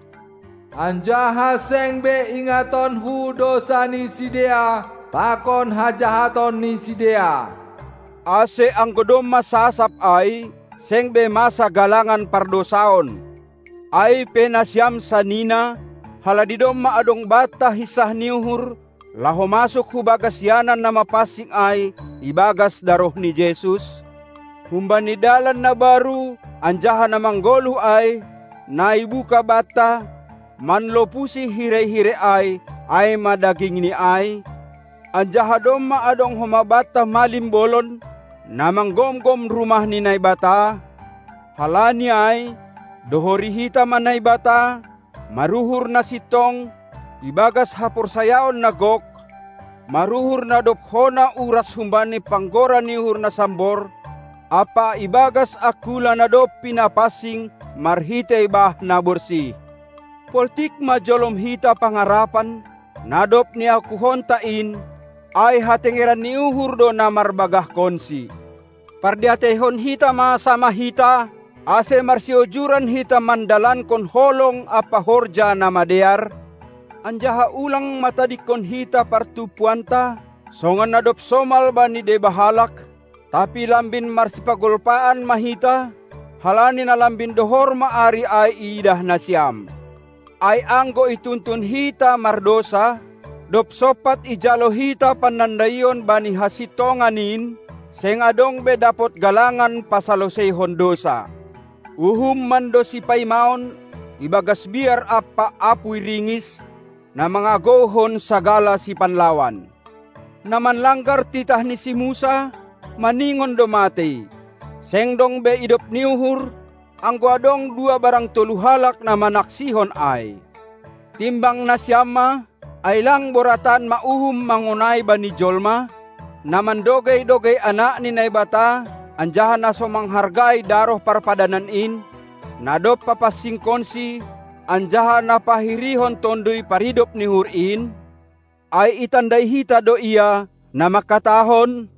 anjaha seng be ingatonKu dousa ni sidea pakon hajahaton ni sidea. Ase anggo domma sasap ai, seng be masa galangan pardousaon. Ai pe nasiam sanina, halani domma adong banta hinsah ni uhur, laho masuk hu bagas ianan na mapansing ai ibagas daroh ni Jesus, humbani dalan na baru anjaha na manggoluh ai, na ibuka banta, manlopusi hirei-hirei ai, ai ma dagingni ai, anjaha domma adong homa banta malim bolon, na manggomgom rumah ni Naibata. Halani ai, dohori hita ma Naibata, maruhur na sintong, ibagas haporsayaon na gok, maruhur na dob hona uras humbani panggora ni uhur na sambor, ampa ibagas angkula na dob pinapansing marhitei bah na borsih. Poltik ma jolom hita pangarapan, na dob niakuhonta in, ai hatengeran ni uhur do na marbagahkonsi. Pardiateihon hita ma sama hita, ase marsiojuran hita mandalankon holong ampa horja na madear, anjaha ulang matadingkon hita partumpuanta, songon na dob somal bani deba halak, tapi lambin marsipagolpaan ma hita, halani na lambin dohor ma ari ai iidah nasiam. Ai anggo ituntun hita mardousa, dob sompat ijalo hita panandaion bani hasintongan in, seng adong be dapot galangan pasaloseihon dousa. Uhum mandosipaimaon ibagas biar ampa apuy ringis, na mangagouhon sagala sipanlawan. Na manlanggar titah ni si Musa, maningon do matei. Seng dong be idop ni uhur, anggo adong dua barang tolu halak na manaksihon ai. Timbang nasiam ma, ai lang boratan ma uhum mangonai bani jolma, na mandogei-dogei Anak ni Naibata, anjaha na so manghargai daroh parpadanan in, na dob papansingkonSi, anjaha na pahirihon Tonduy Paridop ni uhur in? Ai itandai hita do Ia, na mangkatahon: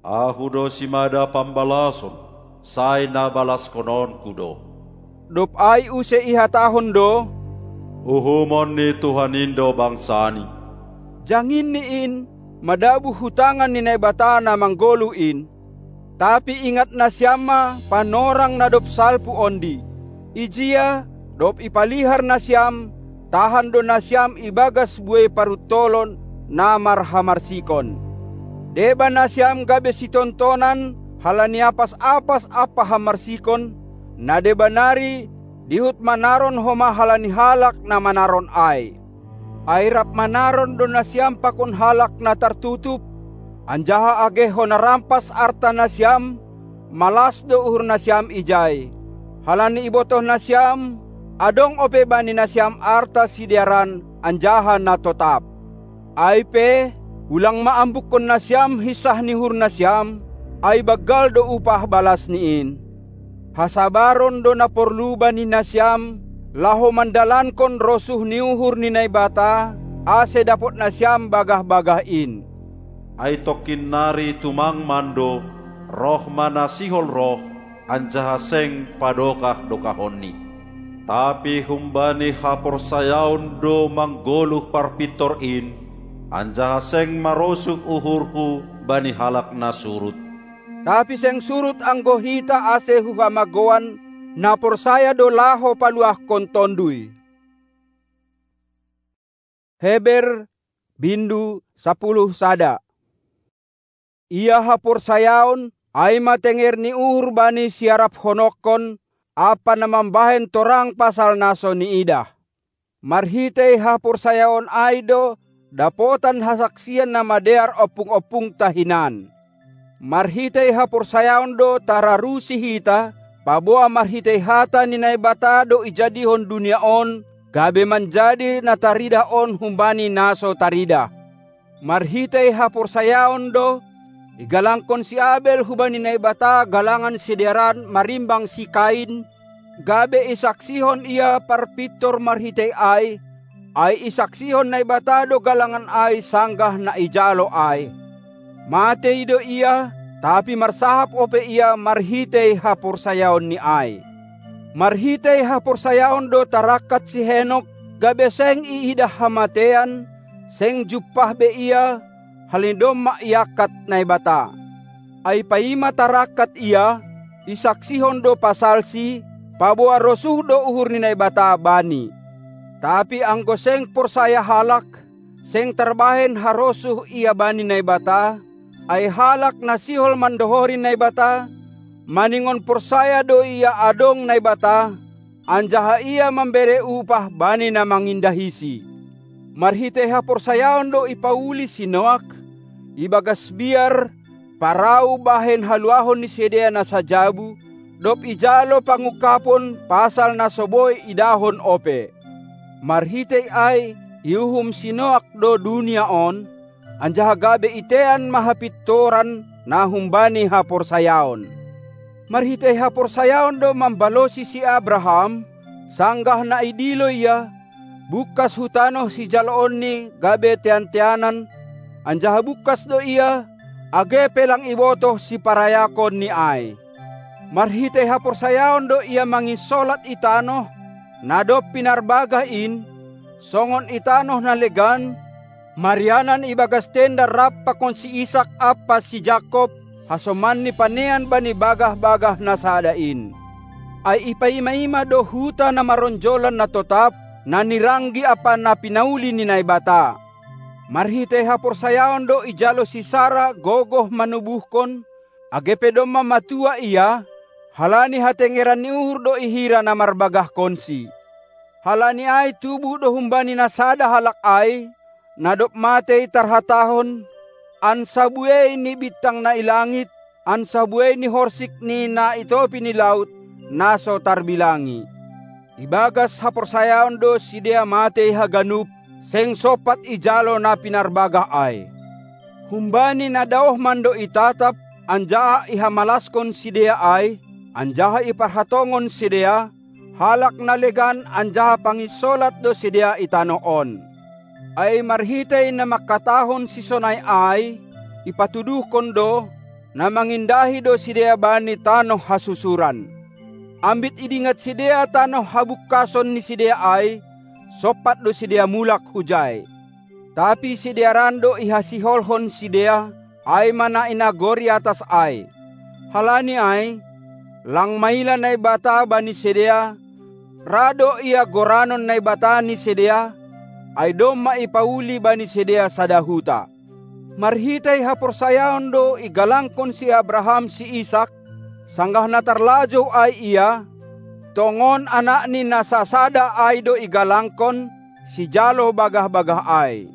Ahu do simada pambalason, sai na balaskononKu do. Dob ai use ihatahon do: Uhumon ni Tuhan in do bangsaNi. JanginNi in madabuh hu tangan ni Naibata na manggoluh in. Tapi ingat nasiam ma panorang na dob salpu ondi. Ijia, dob ipalihar nasiam, tahan do nasiam ibagas buei paruntolon na marhamarsikon. Deba nasiam gabe sitontonan halani apas-apas ampa hamarsikon, na deba nari dihut manaron homa halani halak na manaron ai. Ai rap manaron do nasiam pakon halak na tartutup, anjaha age hona rampas arta nasiam, malas do uhur nasiam ijai. Halani ibotoh nasiam, adong ope bani nasiam arta sidearan anjaha na totap. Ai pe, ulang ma ambukkon nasiam hinsah ni uhur nasiam, ai banggal do upah balasni in. Hasabaron do na porlu bani nasiam, laho mandalankon rosuh ni uhur ni Naibata, ase dapot nasiam bagah-bagah in. Ai tongkin nari tumang mando, roh ma na sihol roh, anjaha seng padokah-dokahonni. Tapi humbani haporsayaon do manggoluh parpintor in, anjaha seng marosuh uhurhu bani halak na surut. Tapi seng surut anggo hita ase hu hamagoan, na porsaya do laho paluahkon Tonduy. Heber, bindu sapuluh sada. Ia haporsayaon, ai ma tenger ni uhur bani siaraphonongkon, ampa na mambahen torang pasal na so niidah. Marhitei haporsayaon ai do dapotan hasaksian na madear ompung-ompungta hinan. Marhitei haporsayaon do tararusi hita, paboa marhitei hata ni Naibata do ijadihon dunia on, gabe manjadi na taridah on humbani na so taridah. Marhitei haporsayaon do igalangkon si Abel hubani Naibata galangan sidearan marimbang si Kain, gabe isaksihon ia parpintor marhitei ai, ai isaksihon Naibata do galangan ai sanggah na ijalo ai. Matei do ia, tapi marsahap ope ia marhitei haporsayaonni ai. Marhitei haporsayaon do tarangkat si Henok, gabe seng iidah hamatean, seng jumpah be ia, halani domma iangkat Naibata. Ai paima tarangkat ia, isaksihon do pasalsi, paboa rosuh do uhur ni Naibata bani. Tapi anggo seng porsaya halak, seng tarbahen harosuh ia bani Naibata, ai halak na sihol mandohori Naibata, maningon porsaya do ia adong Naibata, anjaha ia mambere upah bani na mangindahisi. Marhitei haporsayaon do ipauli si Noak, ibagas biar, parau bahen haluahon ni sidea na sajabu, dob ijalo pangungkapon pasal na so boi idahon ope. Marhitei ai iuhum si Noak do dunia on, anjaha gabe itean ma hapintoran na humbani haporsayaon. Marhitei haporsayaon do mambalosi si Abraham, sanggah na idilo ia, bungkas hu tanoh sijaloonni gabe tean-teanan, anjaha bungkas do ia, age pe lang ibotoh siparayakonni ai. Marhitei haporsayaon do ia manginsolat i tanoh, na dob pinarbagah in, songon i tanoh na legan, marianan ibagas tenda rap pakon si Isak ampa si Jakob, hasomanni panean bani bagah-bagah na sada in. Ai ipaima-ima do huta na maronjolan na totap, na niranggi ampa na pinauli ni Naibata. Marhitei haporsayaon do ijalo si Sara gogoh manubuhkon, age pe domma matua ia, halani hatengeran ni uhur do ihira na marbagahkonsi. Halani ai tubuh do humbani na sada halak ai, na dob matei tarhatahon, ansa buei ni bintang na i langit, ansa buei ni horsik ni na i topi ni laut, na so tarbilangi. Ibagas haporsayaon do sidea matei haganup, seng sompat ijalo na pinarbagah ai. Humbani na daoh mando itatap, anjaha ihamalaskon sidea ai, anjaha iparhatongon sidea, halak na legan anjaha panginsolat do sidea i tanoh on. Ai marhitei na mangkatahon sisonai ai, ipatuduhkon do, na mangindahi do sidea bani tanoh hasusuran. Ambit idingat sidea tanoh habungkason ni sidea ai, sompat do sidea mulak hujai. Tapi sidearan do ihasiholhon sidea, ai ma na i nagori atas ai. Halani ai, lang maila Naibata bani sidea, ra do ia goranon Naibata ni sidea, ai domma ipauli bani sidea sada huta. Marhitei haporsayaon do igalangkon si Abraham si Isak, sanggah na tarlajou ai ia, tongon anakni na sasada ai do igalangkon, sijalo bagah-bagah ai.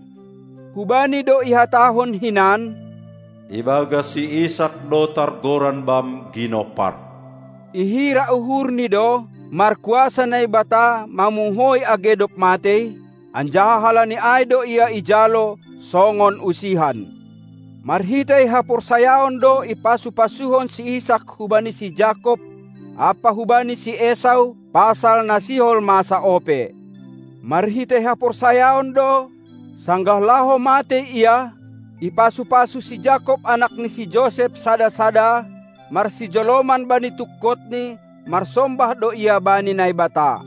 Hubani do ihatahon hinan, "Ibagas si Isak do targoran bam ginompar." Ihira uhurni do markuasa Naibata mamuhoi age dob matei, anjaha halani ai do ia ijalo songon usihan. Marhitei haporsayaon do ipasu-pasuhon si Isak hubani si Jakob ampa hubani si Esau pasal na sihol masa ope. Marhitei haporsayaon do, sanggah laho matei ia, ipasu-pasu si Jakob anak ni si Josep sada-sada, marsijoloman bani tungkotni, marsombah do ia bani Naibata.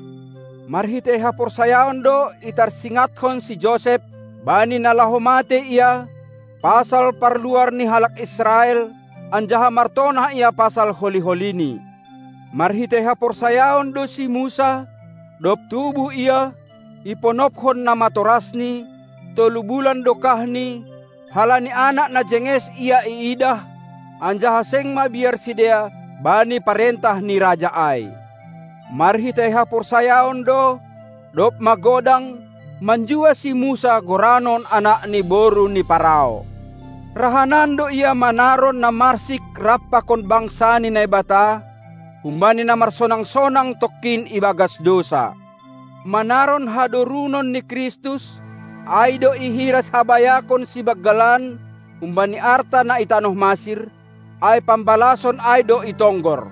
Marhitei haporsayaon do itarsingathon si Josep, bani na laho matei ia, pasal parluar ni halak Israel, anjaha martonah ia pasal holi-holini. Marhitei haporsayaon do si Musa, dob tubuh ia, iponophon namatorasni, tolu bulan dokahni, halani anak na jenges ia iidah, anjaha seng mabiar sidea bani parentah ni raja ai. Marhitei haporsayaon do, dob magodang, manjua si Musa goranon anak ni boru ni Parao. Rahanan do ia manaron na marsik rap pakon bangsa ni Naibata, humbani na marsonang-sonang tongkin ibagas dousa. Manaron hadorunon ni Kristus, ai do ihira sihabayakon sibanggalan humbani arta na i tanoh Masir, ai pambalason ai do itonggor.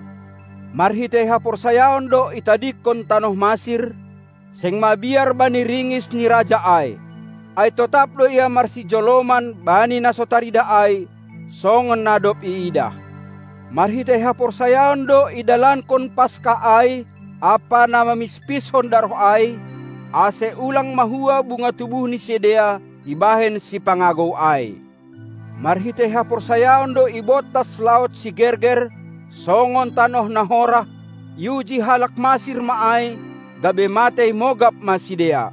Marhitei haporsayaon do itadingkon tanoh Masir, seng mabiar bani ringis ni raja ai. Ai totap do ia marsijoloman bani na so tarida ai, songon na dob iidah. Marhitei haporsayaon do idalankon Paskah ai ampa na mamispishon daroh ai, ase ulang mahua bunga tubuh ni sidea ibahen sipangagou ai. Marhitei haporsayaon do ibontas laut sigerger, songon tanoh na horah, iuji halak Masir ma ai, gabe matei mogap ma sidea.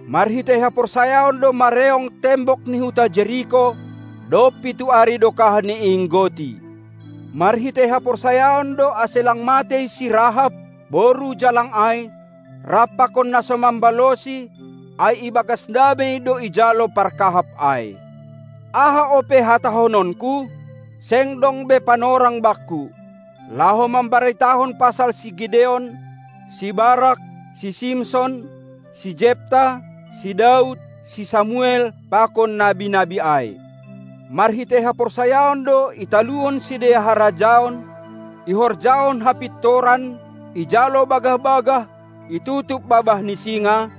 Marhitei haporsayaon do mareong tembok ni huta Jeriko, dob pitu ari dokah niinggoti. Marhitei haporsayaon do ase lang matei si Rahab, boru jalang ai, rap pakon na so mambalosi, ai ibagas damei do ijalo parkahap ai. Aha ope hatahononku? Seng dong be panorang bangku, laho mambaritahon pasal si Gideon, si Barak, si Simson, si Jepta, si Daud, si Samuel, pakon nabi-nabi ai. Marhitei haporsayaon do italuhon sidea harajaon, ihorjahon hapintoran, ijalo bagah-bagah, itutup babah ni singa,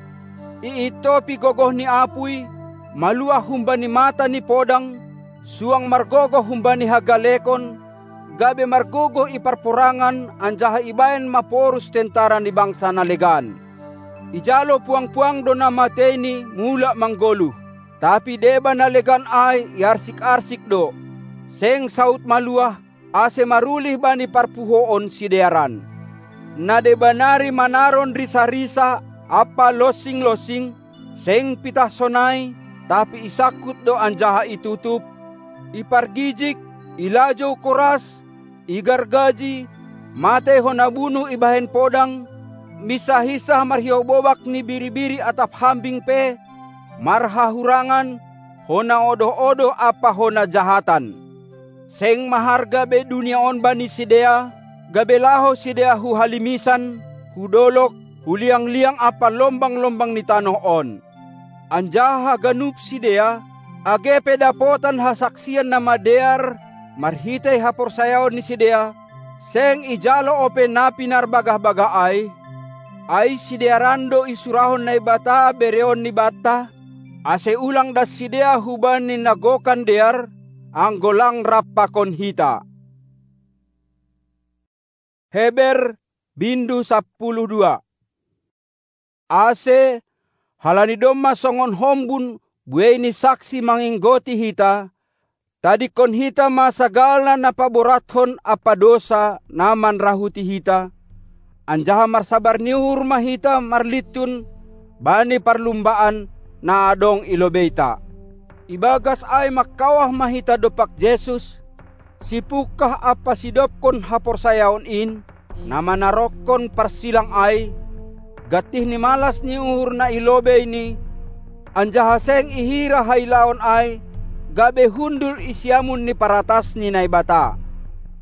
iintopi gogoh ni apuy, maluah humbani mata ni podang, suang margogoh humbani hagalekon, gabe margogoh i parporangan anjaha ibahen maporus tentara ni bangsa na legan. Ijalo puang-puang do na mateini mulak manggoluh, tapi deba na legan ai iarsik-arsik do, seng saut maluah, ase marulih bani parpuhoon sidearan. Na deba nari manaron risa-risa ampa lonsing-lonsing, seng pitah sonai, tapi isangkut do anjaha itutup, ipargijik, ilajou koras, igargaji, matei hona bunuh ibahen podang, minsah-hinsah marhiobobak ni biri-biri atap hambing pe, marhahurangan, hona odoh-odoh ampa hona jahatan. Seng maharga be dunia on bani sidea, gabe laho sidea hu halimisan, hu dolog, hu liang-liang ampa lombang-lombang ni tanoh on. Anjaha haganup sidea, age pe dapotan hasaksian na madear marhitei haporsayaon ni sidea, seng ijalo ope na pinarbagah-bagah ai, ai sidearan do isurahon Naibata bereon ni banta, ase ulang das sidea hubani na gokan dear, anggo lang rap pakon hita. Heber, bindu sampulu dua. Ase, halani domma songon hombun buei ni saksi manginggoti hita, tadingkon hita ma sagala na paborathon ampa dousa na manrahuti hita, anjaha marsabar ni uhur ma hita marlintun bani parlumbaan na adong i lobeita. Ibagas ai mangkawah ma hita dompak Jesus, sipungkah ampa sidobkon haporsayaon in, na manarokkon parsilang ai, gantih ni malas ni uhur na i lobeini, anjaha seng ihira hailaon ai, gabe hundul i siamun ni paratas ni Naibata.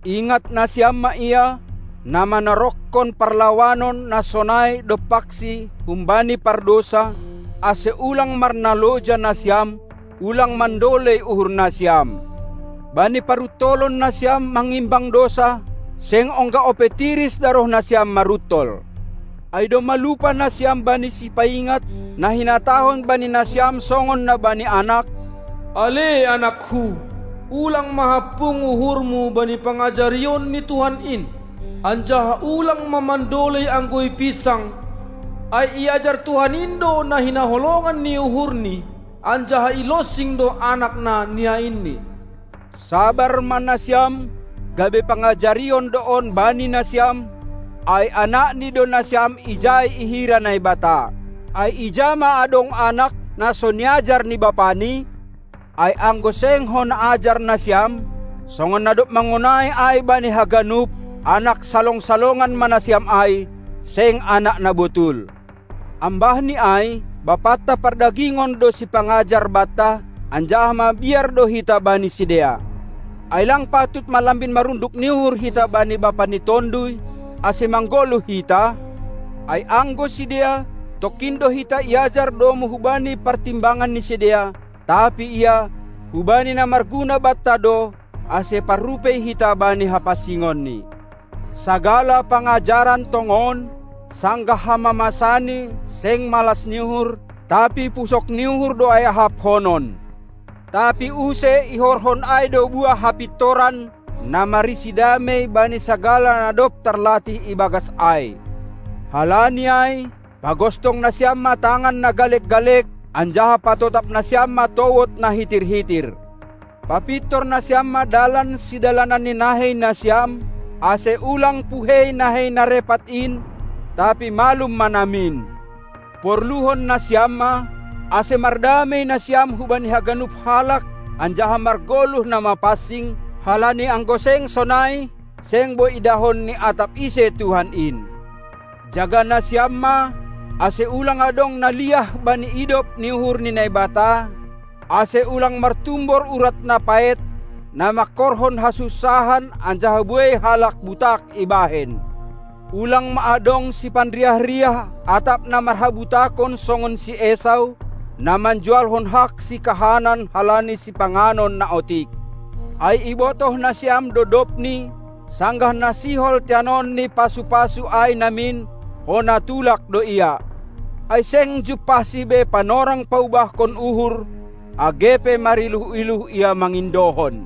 Ingat nasiam ma ia, na manarokkon parlawanon na sonai dompaksi humbani pardousa, ase ulang marnaloja nasiam, ulang mandolei uhur nasiam. Bani paruntolon nasiam mangimbang dousa, seng ongga ope tiris daroh nasiam maruntol. Ai domma lupa nasiam bani sipaingat, na hinatahon bani nasiam songon na bani anak: Ale anakku, ulang ma hampung uhurmu bani pangajarion ni Tuhan in, anjaha ulang ma mandolei anggo ipinsang, ai iajar Tuhan in do na hinaholongan ni uhurni, anjaha ilonsing do anak na niainni. Sabar ma nasiam, gabe pangajarion do on bani nasiam, ai anakni do nasiam ijai ihira Naibata. Ai ija ma adong anak na so niajar ni bapani? Ai anggo seng hona ajar nasiam, songon na dob mangonai ai bani haganup, anak salong-salongan ma nasiam ai, seng anak na botul. Ambahni ai, bapanta pardagingon do sipangajar banta, anjaha mabiar do hita bani sidea. Ai lang patut ma lambin marunduk ni uhur hita bani bapa ni tonduy, ase manggoluh hita? Ai anggo sidea, tongkin do hita iajar domu hubani partimbangan ni sidea, tapi ia hubani na marguna banta do, ase parrupei hita bani hapansingonni. Sagala pangajaran tongon, sanggah hamamasani, seng malas ni uhur, tapi pusok ni uhur do ai ahaphonon. Tapi use ihorhon ai do buah hapintoran, na marisi damei bani sagala na dob tarlatih ibagas ai. Halani ai, pagostong nasiam ma tangan na galek-galek, anjaha patotap nasiam ma towod na hitir-hitir. Papintor nasiam ma dalan sidalanan ni nahei nasiam, ase ulang puhei nahei na repat in, tapi malum ma namin. Porluhon nasiam ma, ase mardamei nasiam hubani haganup halak, anjaha margoluh na mapansing, halani anggo seng sonai, seng boi idahon ni atap ise Tuhan in. Jaga nasiam ma, ase ulang adong na liah bani idop ni uhur ni Naibata, ase ulang martumbor urat na paet, na mangkorhon hasunsahan anjaha buei halak butak ibahen. Ulang ma adong sipanriah-riah atap na marhabutakon songon si Esau, na manjualhon hak sikahanan halani sipanganon na otik. Ai ibotoh nasiam do dobni, sanggah na sihol teanon ni pasu-pasu ai namin, hona tulak do ia. Ai seng jumpahsi be panorang paubahkon uhur, age pe mariluh-iluh ia mangindohon.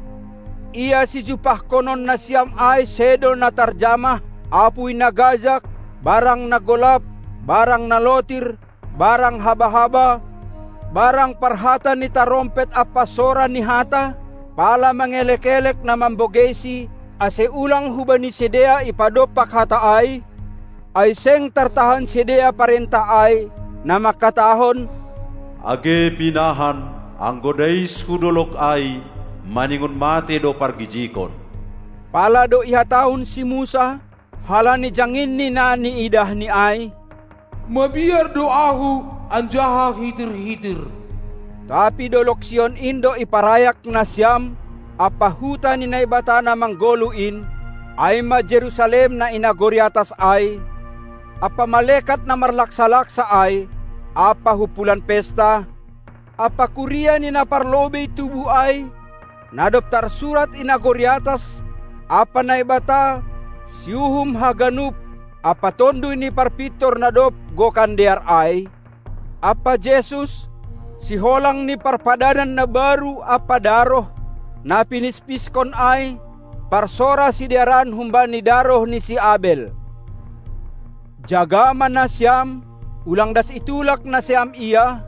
Ia sijumpahkonon nasiam ai sedo na tarjamah, apui na gajak, barang na golap, barang na lotir, barang haba-haba, barang parhata ni tarompet ampa sora ni hata, pala mangelek-elek na mambogeisi, ase ulang hubani sidea ipadompak hata ai, ai seng tartahan sidea parentah ai, na mangkatahon: Age pinahan, anggo dais hu dolog ai, maningon mate do pargijikon. Pala do ihatahon si Musa, halani janginni na niidahni ai: Mabiar do Ahu anjaha hitir-hitir. Tapi dolog Sion in do iparayak nasiam, ampa huta ni Naibata na manggoluh in, ai ma Jerusalem na i nagori atas ai, ampa malekat na marlaksa-laksa ai, ampa humpulan pesta, ampa kuria ni na parlobei tubu ai, na dob tarsurat i nagori atas, ampa Naibata, siuhum haganup, ampa Tonduy ni Parpintor na dob gokan dear ai, ampa Jesus, siholang ni parpadanan na baru ampa daroh, na pinispiskon ai, parsora sidearan humbani daroh ni si Abel. Jaga ma nasiam, ulang das itulak nasiam ia,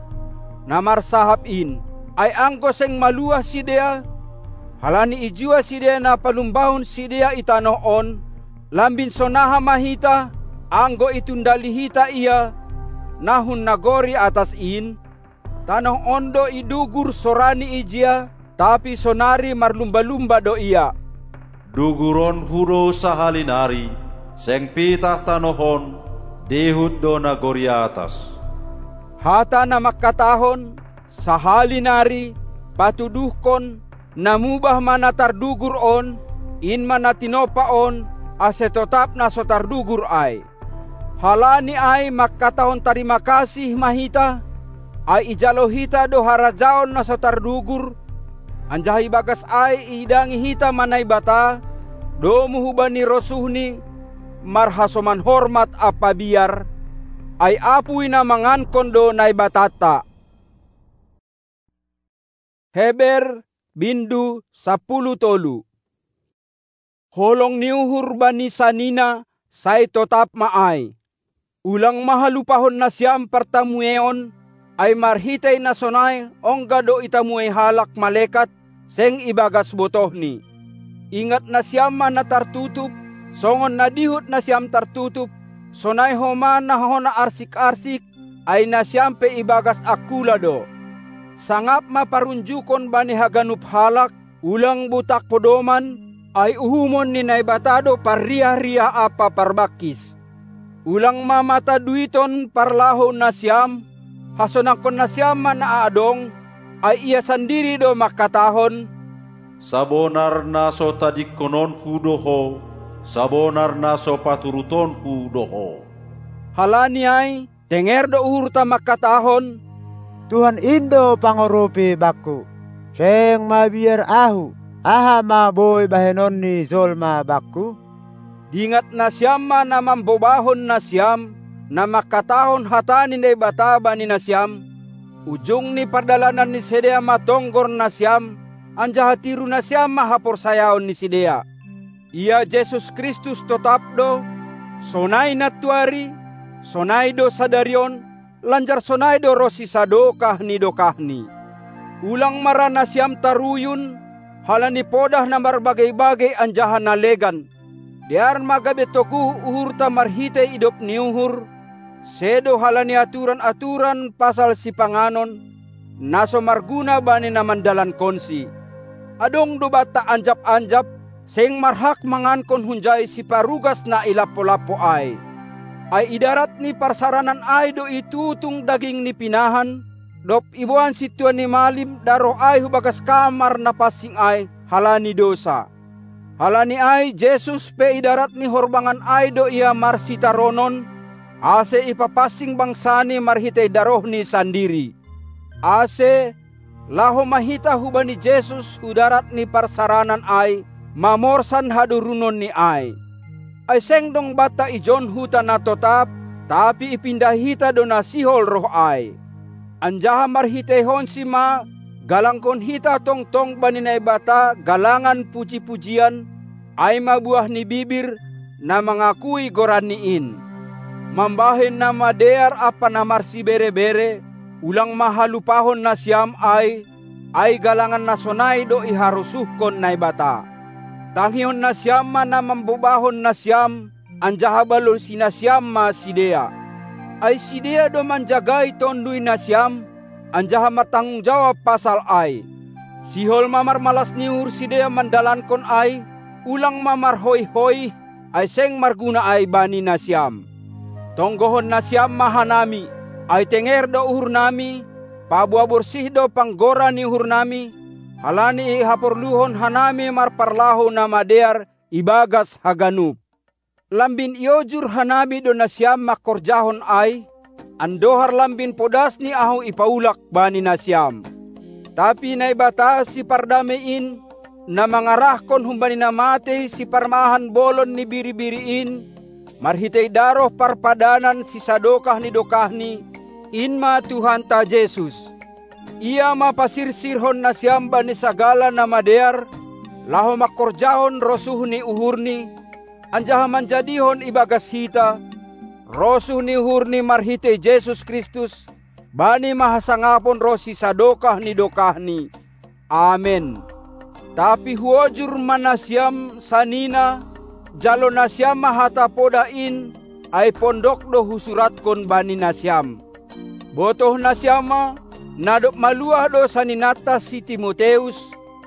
na marsahap in, ai anggo seng maluah sidea, halani ijua sidea na palumbahon sidea i tanoh on, lambin sonaha ma hita, anggo itundali hita ia, na hun nagori atas in? Tanoh on do idugur sorani ijia, tapi sonari marlumba-lumba do ia. Duguronhu do sahali nari, seng pitah tanoh on, dihut do nagori atas. Hata na mangkatahon, sahali nari, patuduhkon, na mubah ma na tardugur on, in ma na tinompa on, ase totap na so tardugur ai. Halani ai mangkatahon tarima kasih ma hita, ai ijalo hita do harajaon na so tardugur, anjaha ibagas ai iidangi hita ma Naibata, domu hubani rosuhni, marhasoman hormat ampa biar, ai apui na mangankon do Naibatanta. Heber, bindu sampulu tolu. Holong ni uhur bani sanina, sai totap ma ai. Ulang ma halupahon nasiam partamueon, ai marhitei na sonai ongga do itamuei halak malekat, seng ibagas botohni. Ingat nasiam ma na tartutup, songon na dihut nasiam tartutup, sonai homa na hona arsik-arsik, ai nasiam pe ibagas angkula do. Sangap ma parunjukon bani haganup halak, ulang butak podoman, ai uhumon ni Naibata do parriah-riah ampa parbangkis. Ulang ma mataduiton parlahou nasiam, hasonangkon nasiam ma na adong, ai ia sandiri do mangkatahon: Sabonar na so tadingkononku do ho, sabonar na so paturutonku do ho. Halani ai, tenger do uhurta mangkatahon: Tuhan in do pangorupi bakku. Seng mabiar ahu, aha ma boi bahenon ni jolma bakku? Dingat nasiam ma na mambobahon nasiam, na mangkatahon hata ni Naibata bani nasiam, ujung ni pardalanan ni sidea ma tonggor nasiam, anjaha tiru nasiam ma haporsayaon ni sidea. Ia Jesus Kristus totap do, sonai nantuari, sonai do sadari on, lanjar sonai do ronsi sadokah ni dokahni. Ulang ma ra nasiam taruyun, halani podah na marbagei-bagei anjaha na legan. Dear ma gabe toguh uhurta marhitei idop ni uhur, sedo halani aturan-aturan pasal sipanganon, na so marguna bani na mandalankonsi. Adong do banta anjap-anjap, seng marhak mangankon hunjai siparugas na i lampo-lampo ai. Ai i darat ni parsaranan ai do itutung daging ni pinahan, dob iboan sintua ni malim daroh ai hu bagas kamar na pansing ai halani dousa. Halani ai Jesus pe i darat ni horbangan ai do ia marsitaronon, ase ipapansing bangsani marhitei darohni sandiri. Ase, laho ma hita hubani Jesus hu darat ni parsaranan ai, mamorsan hadurunonni ai. Ai seng dong banta ijon huta na totap, tapi ipindahi hita do na sihol roh ai. Anjaha marhiteihonsi ma, galangkon hita tongtong bani Naibata galangan puji-pujian, ai ma buah ni bibir, na mangakui goranni in. Mambahen na madear ampa na marsibere-bere, ulang ma halupahon nasiam ai, ai galangan na sonai do iharosuhkon Naibata. Tangihon nasiam ma na mambobahon nasiam, anjaha balosi nasiam ma sidea. Ai sidea do manjagai tondui nasiam, anjaha martanggung jawab pasal ai. Sihol ma marmalas ni uhur sidea mandalankon ai, ulang ma marhoih-hoih, ai seng marguna ai bani nasiam. Tonggohon nasiam ma hanami, ai tenger do uhurnami, paboa borsih do panggora ni uhurnami, halani ihaporluhon hanami marparlahou na madear ibagas haganup. Lambin iojur hanami do nasiam mangkorjahon ai, andohar lambin podas ni ahu ipaulak bani nasiam. Tapi Naibata sipardamei in, na mangarahkon humbani na matei siparmahan bolon ni biri-biri in, marhitei daroh parpadanan sisadokah ni dokahni, in ma Tuhanta Jesus. Ia ma pasirsirhon nasiam bani sagala na madear, laho mangkorjahon rosuh ni uhurni, anjaha manjadihon ibagas hita, rosuh ni uhurni marhitei Jesus Kristus, bani ma hasangapon ronsi sadokah ni dokahni. Amen. Tapi huojur ma nasiam sanina, jalo nasiam ma hata podah in, ai pondok do husuratkon bani nasiam. Botoh nasiam ma, na dob maluah do saninanta si Timoteus,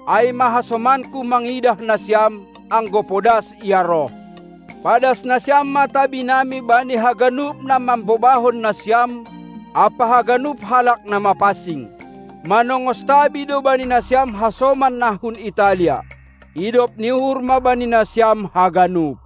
ai ma hasomanku mangidah nasiam, anggo podas ia roh. Padas nasiam ma tabinami bani haganup na mambobahon nasiam, ampa haganup halak na mapansing. Manongos tabi do bani nasiam hasoman na hun Italia. Idop ni uhur ma bani nasiam haganup.